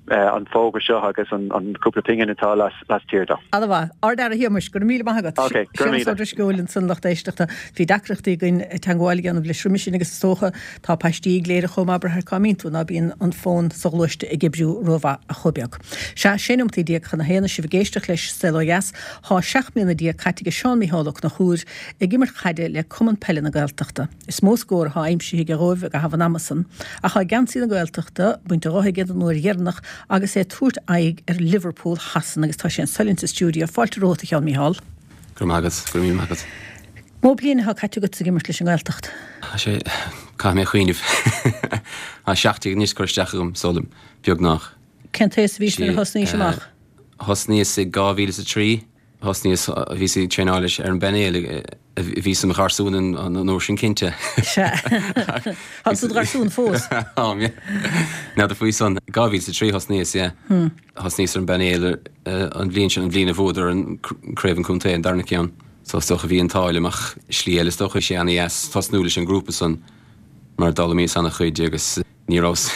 an fógra seo agus an cúpla pingin atá laistiar de. An-mhaith. Ard-Aire a Shéamais, go raibh míle maith agat. Ok, go raibh míle. Séamas Ó Drisceoil ansan lucht éisteachta. Bhí deacrachtaí againn teagmháil a dhéanamh leis roimis sin agus is dócha tá paistí ag Cléire chomh maith braitheann cá mbíonn tú ná bíonn an fón soghluaiste ag oibriú rómhaith ach chomh beag. Sea, 16 nóimeataí chun a haon is sibh ag éisteacht leis Saol Ó Dheas. Thá 17 mbliana caite age Seán Micheál Ó Conchúir ag imirt chaide le Cumann Peile na Gaeltachta. Is mó scór athá aimsithe aige dhóibh i gcaitheamh an ama san, ach thá geansaí na Gaeltachta bainte dho aige don uair dheireanach agus é ag tabhairt aghaidh ar Liverpool Shasana agus tá sé anso linn sa stiúideo. Fáilte romhat, a Sheáin Mícheál. Go raibh maith agat, go raibh míle maith agat. Mó bliain athá caite agat ag imirt leis an nGaeltacht? Tá sé, caithfidh mé cuimhneamh. Tá 17 anois curtha isteach agam, is dóigh liom, beagnach. Cén t-aois a bhís nuair a thosnaís amach? Thosnaíos i 2003. Thosnaíos, bhíos ag traenáil leis ar an bpainéal, bhíos i mo gharsún an uair sin cinnte. Sea. Tá tú i do gharsún fós. Táim, yeah. N'fheadar faoi san. 2003 thosnaíos, yeah. Thosnaíos ar an bpainéal an bhliain sin, an bhliain a bhuadar an craobh an chontae, an darna ceann. So is dócha bhí an t-ádh liom ach slí eile is dócha, bhí sé ana-dheas tosnú leis an ngrúpa san mar d'fhoghlaimíos ana-chuid agus, Ní rabhas,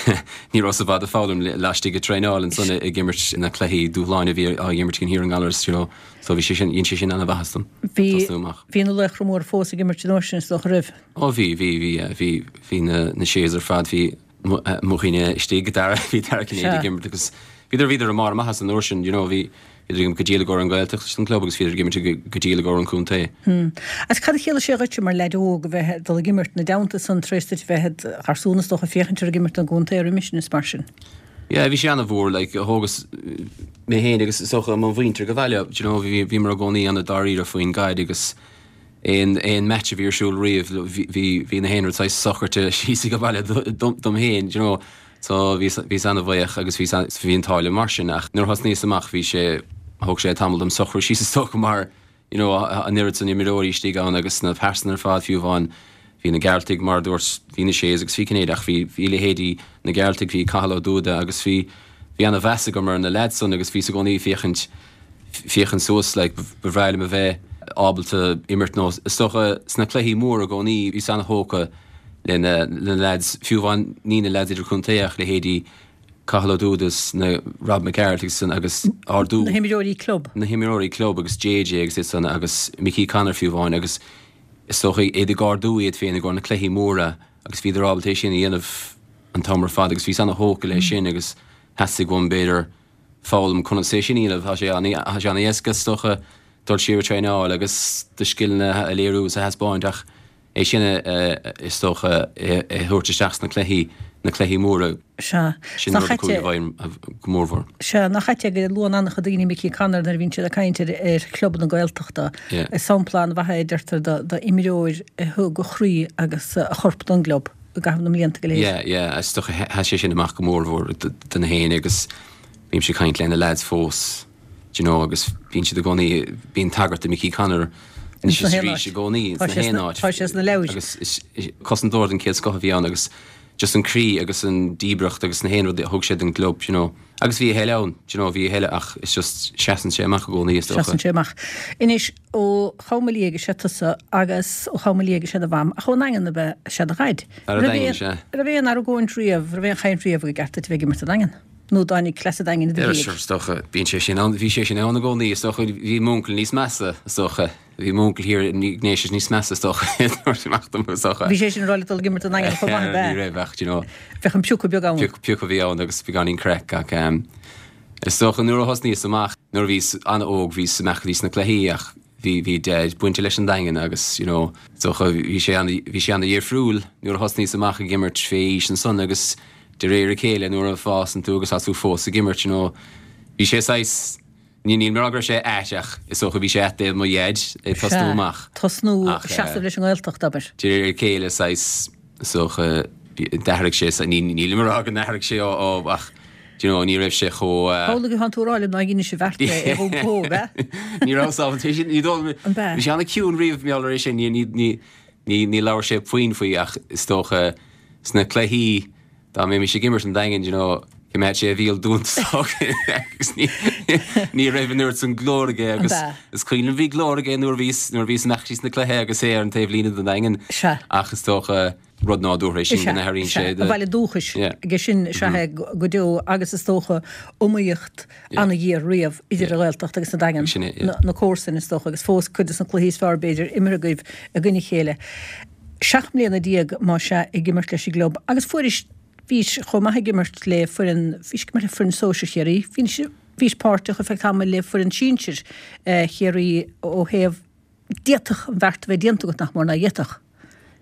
ní rabhas i bhfad ag foghlaim laistigh ag traenáil ansan ag imirt na cluichí dúshláin a bhí á imirt againn thiar i nGallaras, you know. So bhí sé sin, dhein sé sin ana-mhaitheas dom, Bhí, tosnú amach. bhí na laochra móra fós ag imirt an uair sin is dócha roimh. Ó bhí, bhí, bhí, yeah, bhí, bhí na, na Sheas ar fad, bhí mo, mo dhaoine istigh, Dara, bhí Dara Cinnéide ag Sea. imirt agus bhíodar, bhíodar i mbarr a maitheasa an uair sin, you know, bhí, Bhíodar ag imirt go diail i gcomhair an Ghaeltacht leis an gclub agus bhíodar ag imirt go diail i gcomhair an chontae. Agus cad a chiallaigh sé dhuitse mar leaid óg a bheith ag dul ag imirt ina dteannta san tar éis duit a bheith id gharsún is dócha ag féachaint orthu ag imirt don gcontae roimis sin is mar sin? Yeah, bhí sé ana-mhór, like, thógas. mé féin agus is dócha mo mhuintir go bhaile, do you know, bhí, bhíomar i gcónaí an-dáiríre faoin gcaid agus aon, aon match a bhí ar siúl riamh, bhí, bhí, bhí na haon rud saghas socraithe síos ag baile dom, dom féin, do you know. So bhíos, bhíos an-bhuíoch agus bhí, bhí an t-ádh liom mar sin ach nuair a thosnaíos amach bhí sé, thóg sé tamall dom socrú síos is dócha mar, you know, an oiread san imreoirí istigh ann agus na pearsana ar fad fiú amháin bhí na Gearaltaigh mar a dúirt, bhí na Sheas agus bhí Cinnéide ach bhí, bhí leithéidí na Gearaltaigh, bhí Cathal Ó Dúda agus bhí, bhí ana-mheas agam ar na leaids san agus bhíos i gcónaí ag féachaint, féachaint suas like ba bhreá liom a bheith ábalta imirt nó is dócha sna cluichí móra i gcónaí bhíos ana-thógtha le na, le na leaids fiú amháin ní na leaids idirchontae ach leithéidí Cathal Ó Dúda is na Rob Mac Gearailt agus san agus ardú. Na himreoirí club. Na himreoirí club agus JJ agus iad san agus Mickey Connor fiú amháin agus is dócha iad ag ardú iad féin i gcomhair na cluichí móra agus bhíodar ábalta é sin a dhéanamh an t-am ar fad agus bhíos ana-thógtha leis sin agus theastaigh uaim b'fhéidir foghlaim conas é sin a dhéanamh. Tá sé tá sé an-éasca is dócha dul siar ag traenáil agus do scileanna a léiriú is a thaispeáint ach É sin, is dócha, a thabhairt isteach sna cluichí, na cluichí móra. Sea. Sin rud a chuaigh i bhfeidhm go mórmhór. Sea, nach ait é go luann an-chuid daoine Mickey Connor nuair a bhíonn siad ag caint ar ar chlub na Gaeltachta. Is sampla an-mhaith é, a deirtear, d'imreoir a thug a chroí agus a chorp don gclub i gcaitheamh na mblianta go léir. Yeah, yeah, is dócha sheas sé sin amach go mórmhór do na héinne agus bímse ag caint le na lads fós. Do you know, agus bíonn siad i gcónaí, bíonn tagairt do Mickey Connor anois is arís i gcónaí, ins na haon áit. Tá sé sna leabhair. Agus is cosantóir den chéad scoth a bhí ann agus just an croí agus an díbreacht agus na haon rud a thug sé don gclub, you know. Agus bhí a thuilleadh ann, do you know, bhí a thuilleadh ach it's just seasann sé amach i gcónaí is dócha. Seasann sé amach. Anois, ó Chom an Liaigh is ea tusa agus ó Chom an Liaigh is ea do mham, ach ón nDaingean ab ea is ea do dhaid. Fear an Daingin, sea. Raibh aon argóint riamh, raibh aon chaint riamh gur cheart duit a bheith ag imirt don Daingean? Nó dtáinig cleas an Daingin i do dhiaidh? Is dócha, bíonn sé sin ann, bhí sé sin ann i gcónaí, is dócha, bhí m'uncail níos measa, is dócha, bhí m'uncail thiar i nDéise níos measa, is dócha, dúirt amach dom, is dócha. Bhí sé sin ag rá leat dul ag imirt don Daingean chomh maith, ab ea? Ní raibh ach, do you know. Bheadh an piocadh beag ann. Piocadh a bhí ann agus beagáinín craic ach is dócha nuair a thosnaíos amach, nuair a bhíos an-óg, bhíos amach go dtí sna cluichí ach bhí, bhí Deaid bainte leis an Daingean agus, you know, is dócha bhí sé an, bhí sé an-dhifriúil nuair a thosnaíos amach ag imirt fé aois ansan agus de réir a chéile nuair a fásann tú agus tá tú fós ag imirt, you know, bhí sé saghas, ní, níl mé ag rá go raibh sé ait ach is dócha bhí sé ait do mo dhaid ag tosnú Sea, amach. tosnú, Ach, eh, seasamh leis an nGaeltacht, abair. De réir a chéile saghas, is dócha, d'athraigh sé, ní, níl mé ag rá go n-athraigh sé ó, ó, ach, do you know, ní raibh sé chomh, eh, Amhlaidh atá tú ag rá liom nár dheinis an bheart é ar iompó, ab ea? Ní raibh sábháilte sé sin, ní dóigh liom, An b'ea? bhí sé an-chiúin riamh mar gheall ar é sin, ní, ní, ní, ní, ní labhair sé puinn faoi ach is dócha sna cluichí, Dá mbeimis ag imirt an Daingean, you know, choimeád sé a bhéal dúnta agus ní, ní raibh an oiread san glór aige agus An b'ea? is cuimhin liom bhí glór aige nuair a bhíos, nuair a bhíos amach síos na cluiche agus é ar an taobh líne don Daingean. Sea. Ach is dócha rud nádúrtha é Is sin go ea, n-athraíonn is ea. sé A do. bhaile dúchais Yeah. aige sin is ea é go deo agus is dócha iomaíocht Yeah. ana-ghéar riamh idir Yeah. an Ghaeltacht agus an Daingean, Sin é, yeah. na, na comharsain is dócha agus fós cuid de na cluichí is fearr b'fhéidir imeartha agaibh i gcoinne a chéile. 17 mbliana más ea ag imirt leis an gclub agus fuairis, bhís chomh maith ag imirt le foireann, bhís ag imirt le foireann sóisir Chiarraí, bhís, bhís páirteach ar feadh tamaill le foireann sinsir Chiarraí ó thaobh, d'fhéadfadh an bheart a bheith déanta agat nach mór ná d'fhéadfadh.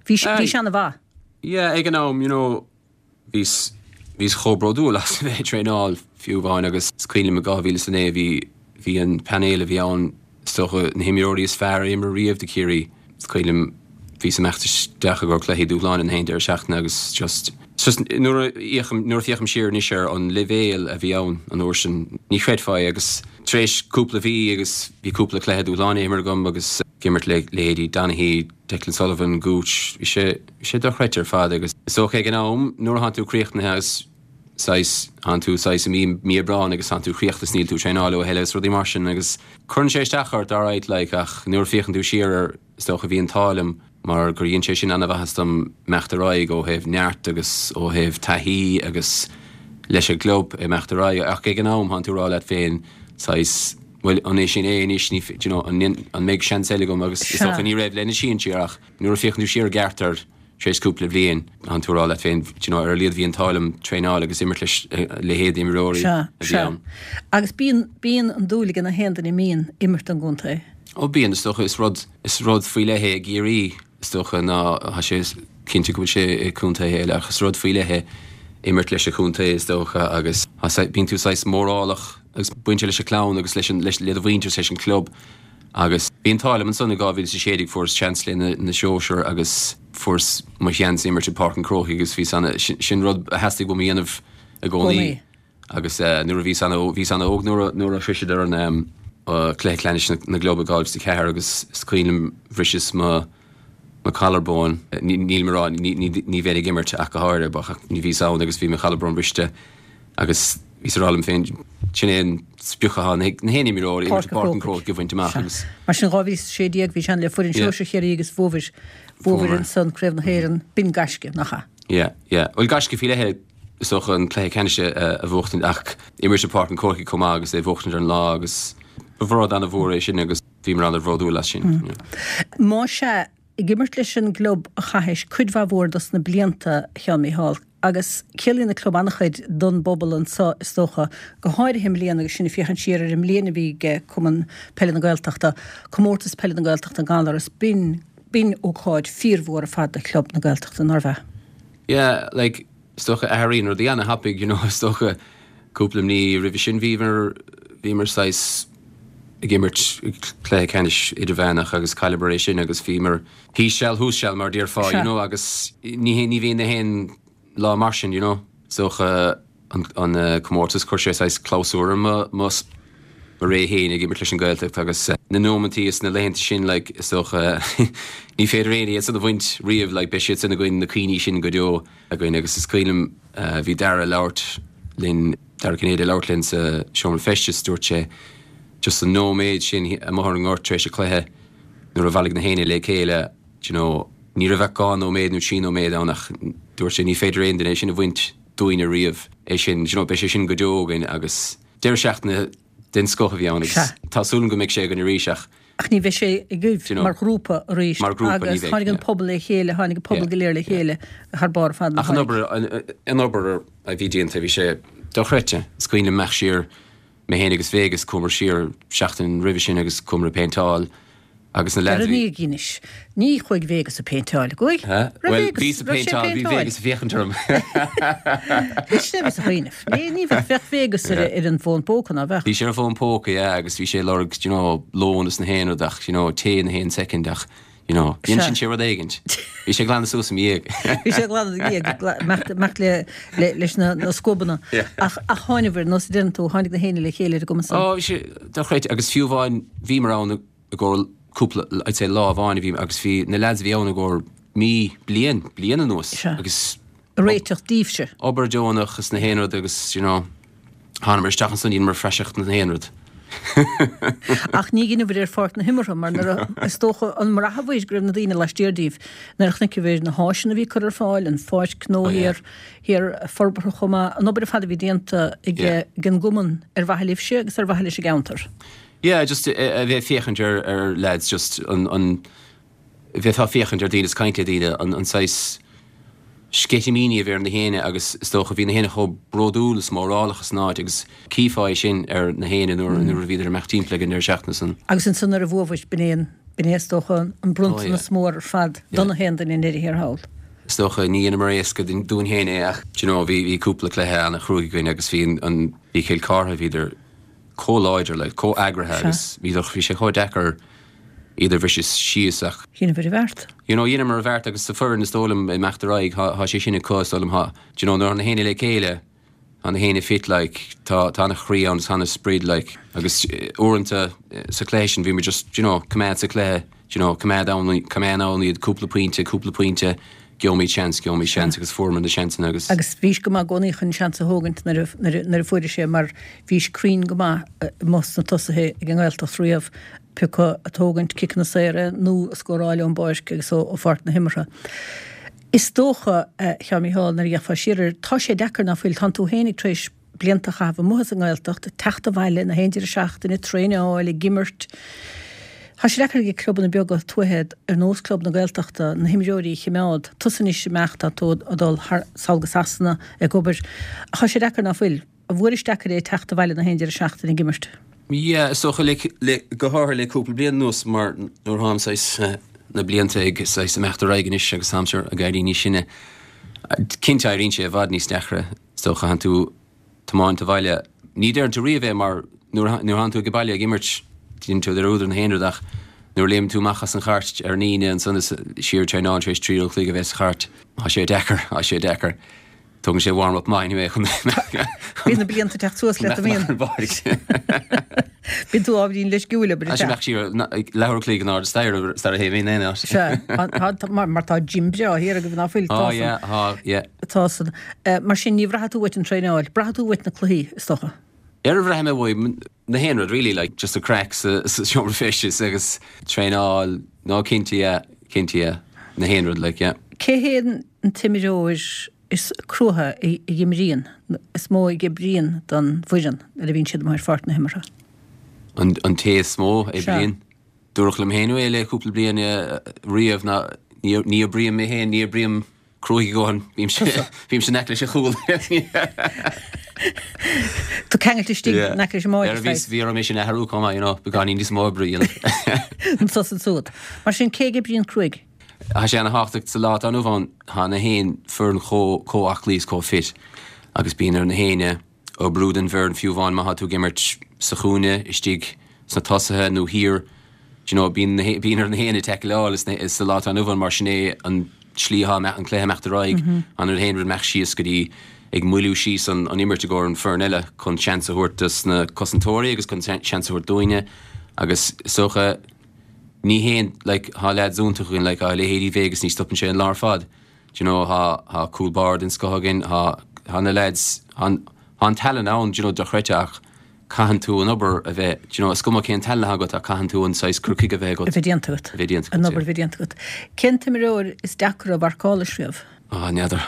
Bhís, bhís ana-mhaith. Yeah, ag an am, you know, Bhíos, bhíos chomh bródúil as a bheith ag traenáil fiú amháin agus is cuimhin liom i 2009 bhí, bhí an painéal a bhí ann, is dócha na himreoirí is fearr a imir riamh do Chiarraí. Is cuimhin liom bhíos imeacht isteach i gcomhair cluichí dúshláin an haon deireadh seachtaine agus just, just nuair a fhéachaim, nuair a féachaim siar anois ar an leibhéal a bhí ann an uair sin, ní chreidfeá é agus tar éis cúpla mhí agus bhí cúpla cluiche dúshláin imeartha agam agus ag imirt le leithéidí Donaghy, Declan Sullivan, Gooch, bhí sé, bhí sé dochreidte ar fad agus is dócha ag an am nuair atánn tú críochnaithe agus saghas, tánn tú saghas i mí, mí Aibreáin agus tánn tú críochnaithe is níl tú ag traenáil a thuilleadh agus rudaí mar sin agus cuireann sé isteach ort alright like ach nuair a féachann tú siar air is dócha bhí an t-ádh liom mar gur dhein sé sin ana-mhaitheas dom imeacht ar aghaidh ó thaobh neart agus ó thaobh taithí agus leis an gclub imeacht ar aghaidh ach ag an am tánn tú ag rá leat féin saghas bhuel an é sin é anois ní, do you know, an, an mbeidh seans eile agam agus is dócha ní raibh le na sinsir ach nuair a féachann tú siar i gceart air tar éis cúpla bliain tánn tú ag rá leat féin do you know, ar a laghad bhí an t-ádh liom traenáil agus imirt leis leithéid imreoirí Sea, a bhí sea. ann. Agus bíonn, bíonn an dúil ag na haon duine a mbíonn imirt don gcontae. Ó bíonn, is dócha, is rud, is rud faoi leith é i gCiarraí is dócha ná tá sé cinnte go bhfuil sé i contaetha eile ach is rud faoi leith é imirt leis an chontae is dócha agus bíonn tú saghas mórálach. agus baineann sé leis an chlann agus leis an, leis, le do mhuintir is leis an club. Agus bhí an t-ádh liom ansan i 2016 fuaireas seans le na, na sóisir agus fuaireas mo sheans imirt i bPáirc an Chrócaigh agus bhí san, sin rud a theastaigh uaim a dhéanamh i gcónaí. Agus nuair a bhíos ana, bhíos ana óg nuair a, nuair a shroiseadar an cluiche ceannais na, na gclub i 2004 agus is cuimhin liom bhriseas mo, mo collarbone. Ní, nílim ag rá, ní, ní, ní bheinn ag imirt ach go háirithe, but ní bhíos ann agus bhí mo chollarbone briste agus bhíos ag rá liom féin, sin é an sprioc atá ag na haon imreoir, imirt i bPáirc an Chrócaigh a bhaint amach agus. Mar sin 2016 bhís ann le foireann sóisir Chiarraí agus bhuabhair, bhuabhair ansan Craobh na hÉireann, b'in gaisce, nach ea? Yeah, yeah. Bhuel gaisce faoi leith é. Is dócha an cluiche ceannais a bhuachtaint ach imirt i bPáirc an Chrócaigh chomh maith agus é a bhuachtaint ar an lá agus ba rud an-mhór é sin agus bhíomar an-bhródúil as sin. Más ea, ag imirt leis an gclub a chaithis cuid mhaith mhór dos na blianta, a Sheáin Mícheál, agus ciallaíonn an club an-chuid don bpobal anso is dócha, go háirithe i mbliana agus sinn ag féachaint siar ar an mbliain a bhí ag Cumann Peile na Gaeltachta, Comórtas Peile na Gaeltachta gan amhras, b'in, b'in ócáid fíormhór ar fad do Chlub na Gaeltachta, nárbh ea? Yeah, like, Is dócha athraíonn rudaí ana-thapaidh, you know, is dócha cúpla mí roimhe sin bhíomar, bhíomar saghas ag imirt cluiche ceannais idirmheánach agus chailleamar é sin agus bhíomar thíos seal thuas seal mar a déarfá, you know, agus ní, ní bhíonn na haon lá mar sin, you know. Is dócha an, an comórtas chuir sé saghas clabhsúr ar mo, mo, mo ré féin ag imirt leis an Ghaeltacht agus na nóimeantaí is na laethanta sin like is dócha ní féidir aon iad san a bhaint riamh like beidh siad sin againn na cuimhní sin go deo. againn agus is cuimhin liom bhí Dara ag labhairt linn, Dara Cinnéide ag labhairt linn sa seomra feistis, dúirt sé just an nóiméad sin amuigh ar an ngort tar éis an chluiche nuair a bhailigh na héinne le chéile, do you know, ní raibh ach 2 nóiméad nó 3 nóiméad ann ach dúirt sé ní féidir aon duine é sin a bhaint dúinne riamh, é sin, do you know, beidh sé sin go deo againn agus deireadh seachtaine den scoth a bhí ann agus tá súil agam go mbeidh sé againn arís ach Ach ní bheidh sé agaibh mar ghrúpa arís agus tháinig an pobal le chéile, tháinig an pobal go léir le chéile thar barr ar fad. Ach an obair, an obair a bhí déanta, bhí sé dochreidte. Is cuimhin liom imeacht siar, mé féin agus Vegas, chuamar siar seachtain roimhe sin agus chuamar ag péinteáil agus na leaids a bhí. Ar anois, ní chuaigh Vegas ag péinteáil, chuaigh? Bhuel, bhíos ag péinteáil, bhí Vegas ag féachaint orm. Sin é bhíos ag cuimhneamh. Ní, ní bheadh, bheadh Vegas ar, ar an bhfón póca, ná bheadh? Bhí sé ar an bhfón póca, yeah, agus bhí sé ag lorg, do you know, lón is na haon rud ach, you know, tae na haon second ach, you know, dhein sé rud éigint. Bhí sé ag glanadh suas i mo dhiaidh. Bhí sé ag glanadh i do dhiaidh, imeacht le, le, leis na, na scuabanna. Yeah. Ach, ach tháinigh, ar nós a deireann tú, tháinig na héinne le chéile ar an gcuma san. Ó, bhí sé dochreidte agus fiú amháin bhíomar ann i gcomhair cúpla, I'd say lá amháin a bhí, agus bhí na lads a bhí ann i gcomhair mí, bliain, bliain anuas Sea. agus réiteach daoibhse. Obair deonach is na haon rud agus, you know, thánamar isteach ansan dheineamar praiseach na haon rud. Ach ní dheineabhair ar pháirc na himeartha mar nuair a, is dócha, an mbraitheabhair go raibh na daoine laistiar díbh nuair a chonaiceabhair na háiseanna a bhí curtha ar fáil, an pháirc gnó oh, yeah. thiar, thiar forbartha chomh maith, an obair ar fad a bhí déanta ag, yeah. ag an gcumann ar mhaithe libhse agus ar mhaithe leis an gceantar. Yeah, just a bheith ag féachaint ar, ar lads, just an, an, bheifeá ag féachaint ar daoine is caint le daoine, an saghas sceitimíní a bhí ar na héinne agus is dócha bhí na héinne chomh bródúil is mórálach as an áit agus chífeá é sin ar na héinne nuair nuair a bhíodar ag imeacht timpeall ag an deireadh seachtaine san. Agus ansan nuair a bhuabhair, b'in é an, b'in é is dócha an bronntanas mór ar fad do na haon duine i ndeireadh thiar thall. Is dócha ní dheineamar éasca dúinn féin é ach do you know bhí bhí cúpla cluiche ana-chruaidh againn agus bhí an an bhí Cill Chartha bhíodar chomh láidir like chomh eagraithe agus bhíodar bhí sé chomh deacair iad a bhriseadh síos ach. Dheineabhair an bheart. You know, dheineamar an bheart agus sa foireann is dóigh liom ag imeacht ar aghaidh tá sé sin acu is dóigh liom tá, do you know, nuair atá na héinne le chéile, tá na héinne fit like, tá tá ana-chroí ann tá ana-sprid like agus uaireanta sa chluiche sin bhí muid just, do you know, coimeád sa chluiche, do you know, coimeád ann, coimeád ann iad cúpla pointe, cúpla pointe, gheobhaimid seans, gheobhaimid seans agus fuaireamar na seansanna agus. Agus bhís go maith i gcónaí chun seans a thógaint nuair a nuair a nuair a fuairis é mar bhís cruinn go maith amuigh sna tosaithe ag an nGaeltacht riamh. Pé acu ag tógaint ciceanna saora nó ag scóráil ón bpáirc agus ó pháirc na himeartha. Is dócha, a Sheáin Mícheál, nuair a fhéachfá siar air, tá sé deacair ná fuil, tánn tú fhéinig tar éis blianta a chaitheamh amuigh as an nGaeltacht, teacht abhaile na haon deireadh seachtaine, traenáil, ag imirt. Tá sé deacair ag clubanna beaga tuaithe ar nós Club na Gaeltachta na himreoirí a chimeád. Tusa anois ag imeacht, tá tú ag dul thar sall go Sasana ag obair. Tá sé deacair ná fuil? An bhfuairis deacair é teacht abhaile na haon deireadh seachtaine ag imirt? Yeah, is dócha le, le, go háirithe le cúpla bliain anuas mar nuair atáim saghas na blianta ag saghas imeacht ar aghaidh anois agus táimse ag éirí níos sine, cinnte éiríonn sé i bhfad níos deacra. Is dócha, tánn tú ag tiomáint abhaile. Ní deireann tú riamh é mar nuair a tánn tú ag baile ag imirt, déanann tú dearúd ar na haon rud ach nuair a léimeann tú amach as an chairt ar an Aoine ansan is siar ag traenáil tar éis 3 uair an chloig a bheith sa chairt, tá sé deacair, tá sé deacair. Tógann sé warm up maith anyway chun Bíonn na blianta ag teacht suas leat, an mbíonn? Bíonn tú ábhairín leisciúil, abair Tá sé imeacht siar leathuair an chloig in airde staighre sara théim in aon áit. Sea, mar tá gym breá thiar agaibh ná fuil? Tá, yeah, tá, yeah. Tá san. Mar sin ní bhraithfidh tú uait an traenáil, braithfidh tú uait na cluichí, is dócha. Ar a bhraithfidh mé uaim na haon rud really, like just an craic sa seomra feistis agus traenáil, no cinnte yeah, cinnte yeah, na haon rud like yeah. Cé hé an t-imreoir is cruaithe a imríonn, is mó a oibríonn don bhfoireann nuair a bhíonn siad amuigh ar pháirc na himeartha? An té is mó a oibríonn? Dúradh liom féin é le cúpla bliain riamh ná ní oibrím mé féin, ní oibrím cruaidh a dhóthain, bímse in aice leis an chúl. Tú ceangailte istigh in aice leis an mbáide. Bhí bhí orm é sin a athrú chomh maith, you know, beagáinín níos mó oibre a dhéanamh. Anso is ansúd. Mar sin, cé a oibríonn cruaidh? Tá sé ana-thábhachtach sa lá atá inniu ann, tá na haon foireann chomh chomh aclaí is chomh fit agus bíonn ar na héinne oibriú don bhfoireann fiú amháin má tá tú ag imirt sa chúinne, istigh sna tosaithe nó thiar, do you know, bíonn na, bíonn ar na héinne taicleáil sa lá atá inniu ann mar sin é an tslí atá an cluiche imeacht ar aghaidh, an an haon rud imeacht síos go dtí ag moilliú síos an, an imirt i gcomhair an foireann eile chun seans a thabhairt dos na cosantóirí agus chun seans a thabhairt dúinne agus is dócha ní haon, like, tá leaids iontach againn, like, tá leithéidí Vegas ní stopann sé an lá ar fad. Do you know, tá, tá cúl báire den scoth againn, tá, tá na lads, tá an, tá an tallann ann, do you know, dochreidte ach caitheann tú an obair a bheith, do you know, is cuma cén tallann atá agat ach caitheann tú an saghas cur chuige a bheith agat. A bheith déanta agat. A bheith déanta agat, An obair a bheith déanta agat. Cén t-imreoir is deacra a mharcáil leis riamh? Á, n'fheadar.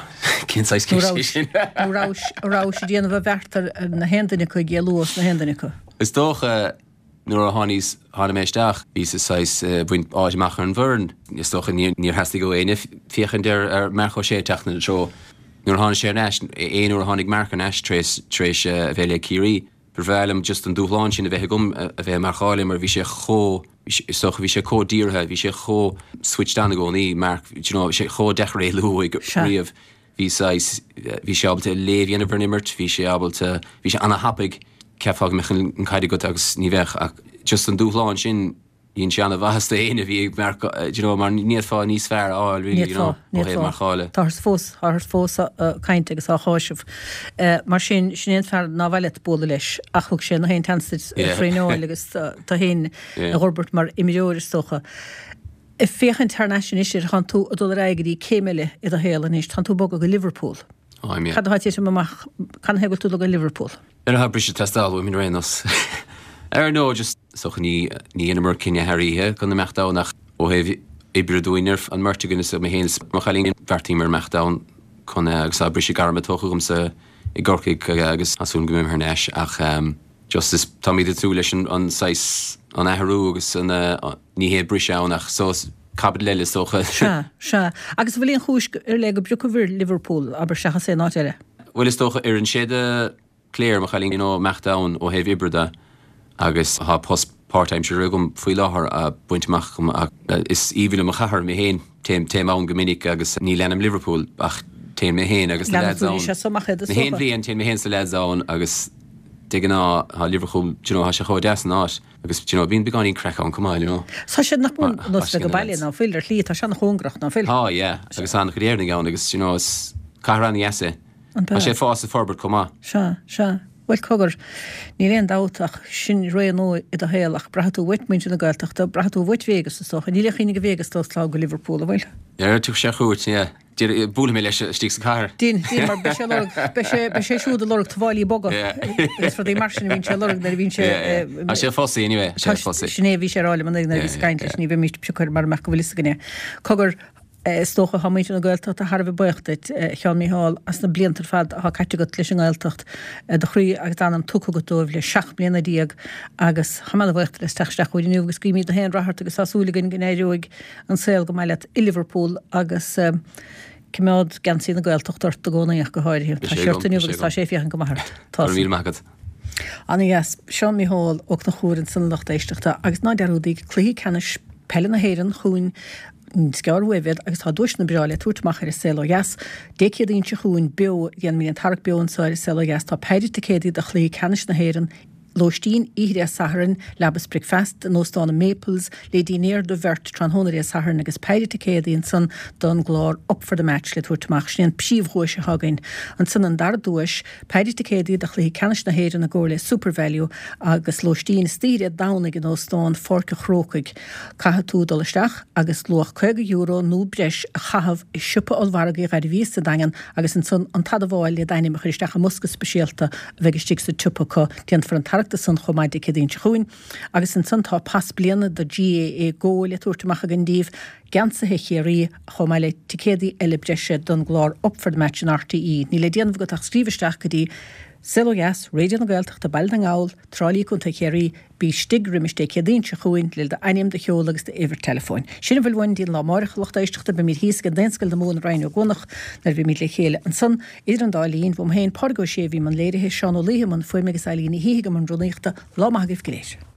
Cén saghas ceist é sin? Nó rabhais, rabhais ag déanamh a bheart ar na haon duine acu ag éalú os na haon duine acu? Is dócha Nuair a tháiníos, tháinig mé isteach, bhíos saghas ag baint áit amach ar an bhfoireann. Is dócha níor theastaigh ó éinne féachaint ar ar Marc Ó Sé ag teacht ina treo. Nuair a tháinig sé ar ais, aon uair a tháinig Marc ar ais tar éis, tar éis a bheith le Ciarraí, ba bhreá liom just an dúshlán sin a bheith agam a bheith ag marcáil é mar bhí sé chomh, is dócha bhí sé chomh dírithe, bhí sé chomh switched on i gcónaí, Marc, do you know, bhí sé chomh deacair éalú uaidh riamh. Bhí saghas, bhí sé ábalta léamh a dhéanamh ar an imirt, bhí sé ábalta, bhí sé ana-thapaidh, cheapfá go mbeadh an caid agat agus ní bheadh ach just an dúshlán sin, dhein sé ana-mhaitheas do éinne a bhí ag marcáil, do you know, mar ní fhéadfá níos fearr a fháil really, you know, ó thaobh marcála. Táthar fós, táthar fós ag caint agus á cháiseamh. Mar sin, sin é an fear nár mhaith leat bualadh leis ach thug sé na haon tseans duit traenáil agus tú féin a fhorbairt mar imreoir is dócha. Ag féachaint thar n-ais anois air, tánn tú ag dul ar aghaidh go dtí céim eile i do shaol anois, tánn tú ag bogadh go Liverpool. Táim, yeah. Cad atá ag titim amach, canathaobh go bhfuil tú ag dul go Liverpool? Ar tá briseadh ag teastáil uaim ar aon nós. Ar no, just, is dócha ní, ní dheineamar cinneadh thar oíche chun imeacht ann ach ó thaobh oibre dúinn ar an mbeirt againn is mé féin is mo chailín bheartaíomar imeacht ann chun agus tá briseadh gairme tógtha agamsa i gCorcaigh agus tá súil go mbeidh mé thar n-ais ach just is táimid ag tnúth leis an an saghas an athrú agus an Ní hé briseadh ann ach saghas caibidil eile is dócha. Sea, sea. Agus an bhfuil aon chúis ar leith go bpriocfaibh ar Liverpool, abair, seachas aon áit eile? Bhuel is dócha oireann sé do Claire, mo chailín, you know, imeacht ann ó thaobh oibre de agus tá post páirtaimseartha agam faoi láthair á baint amach agam ach is aoibhinn liom an chathair mé féin, téim, téim ann go minic agus ní leanaim Liverpool ach téann mé féin agus na lads ann. Na haon bhliain téann mé féin is na lads ann agus de ghnáth tá Liverpool, do you know, tá sé chomh deas an áit. Agus, do you know, bíonn beagáinín craic ann chomh maith, you know. Tá sé nach mór ar nós bheith ag baile, ná fuil, ar shlí, tá sé an-chóngarach, ná fuil? Tá, yeah, agus tá an-chuid Éireannaigh ann agus, you know, is cathair an-dheas é. An Tá sé ag fás is ag forbairt chomh maith. Sea, sea. Bhuel, cogar, níl aon dabht ach sin ré nua i do shaol ach braithfidh tú uait muintir na Gaeltachta, braithfidh tú uait Vegas is dócha. Níl aon chuimhne ag Vegas dul sall go Liverpool, an bhfuil? Ar, tiocfaidh sé ar chuairt, yeah. Buailfidh mé leis istigh sa chathair. Dein, dein, mar beidh sé ag lorg, beidh sé, beidh sé siúd ag lorg tuáillí boga agus rudaí mar sin a bhíonn sé ag lorg nuair a bhíonn sé. Tá sé fussy anyway, tá sé fussy. Sin é a bhí sé a rá liom an oíche nuair a bhíos ag caint leis, ní bheimíst ag piocadh air mara mbeadh go bhfuil fhios againn é. Cogar, is dócha, tá muintir na Gaeltachta thar a bheith buíoch duit, a Sheáin Mícheál, as na blianta ar fad atá caite agat leis an nGaeltacht, do chroí agus d'anam tugtha agat dóibh le 17 mbliana agus tá mé ana-bhuíoch duit as teacht isteach chugainn inniu agus guímid na haon rath ort agus tá súil againn go n-éireoidh an saol go maith leat i Liverpool agus coimeád geansaí na Gaeltachta ort i gcónaí ach go háirithe. Tá sé ort inniu agus tá sé ag féachaint go maith ort. Tá. Go raibh míle maith agat. Ana-dheas. Seán Mícheál Ó Conchúir ansan a lucht éisteachta agus ná dearúdaíg cluichí ceannais peile na hÉireann chugainn. Is gearr uaibh iad agus tá duaiseanna breá le tabhairt amach ar An Saol Ó Dheas. Dé Céadaoin seo chugainn beo, déanfaimid an tarrac beo anseo ar An Saol Ó Dheas. Tá péire ticéadaí do chluiche ceannais na hÉireann, lóistín oíche Dé Sathairn, leaba is bricfeasta in Óstán an Maples, le dinnéar do bheirt tráthnóna Dé Sathairn agus péire ticéadaí ansan don gclár Up for the Match le tabhairt amach. Sin é an príomhdhuais atá againn. Ansan an dara duais, péire ticéadaí do chluiche ceannais na hÉireann i gcomhar le Supervalu agus lóistín istoíche Dé Domhnaigh in Óstán Pháirc an Chrócaigh. Caithfidh tú dul isteach agus luach €50 nó breis a chaitheamh i siopa ollmhargaidh Ghairbhíos sa Daingean agus ansan an t-admháil le d'ainm a chur isteach i mbosca speisialta a bheidh istigh sa tsiopa acu. Déanfar an tarrac de san chomh maith Dé Céadaoin seo chugainn. Agus ansan tá pas bliana do GAA Go le tabhairt amach againn daoibh, geansaithe Chiarraí, chomh maith le ticéadaí eile breise don gclár Up for the Match in RTÉ. Níl le déanamh agat ach scríobh isteach go dtí Saol Ó Dheas, Raidió na Gaeltachta, Baile na nGall, Trá Lí, Co. Chiarraí. Bí istigh roimis Dé Céadaoin seo chugainn le d'ainm, do sheoladh agus d'uimhir teileafóin. Sin a bhfuil uainn go dtí an lá amáireach, a lucht éisteachta. Beimid thíos ag an Daonscoil na Mumhan i Rinn Ó gCuanach nuair a bheimid le chéile ansan. Idir an dá linn, uaim féin, Pádraig Ó Sé a bhí i mbun léirithe, Seán Ó Laoithe i mbun fuaime agus Eileen Ní Shíthigh i mbun rúnaíochta. Lá maith agaibh go léir.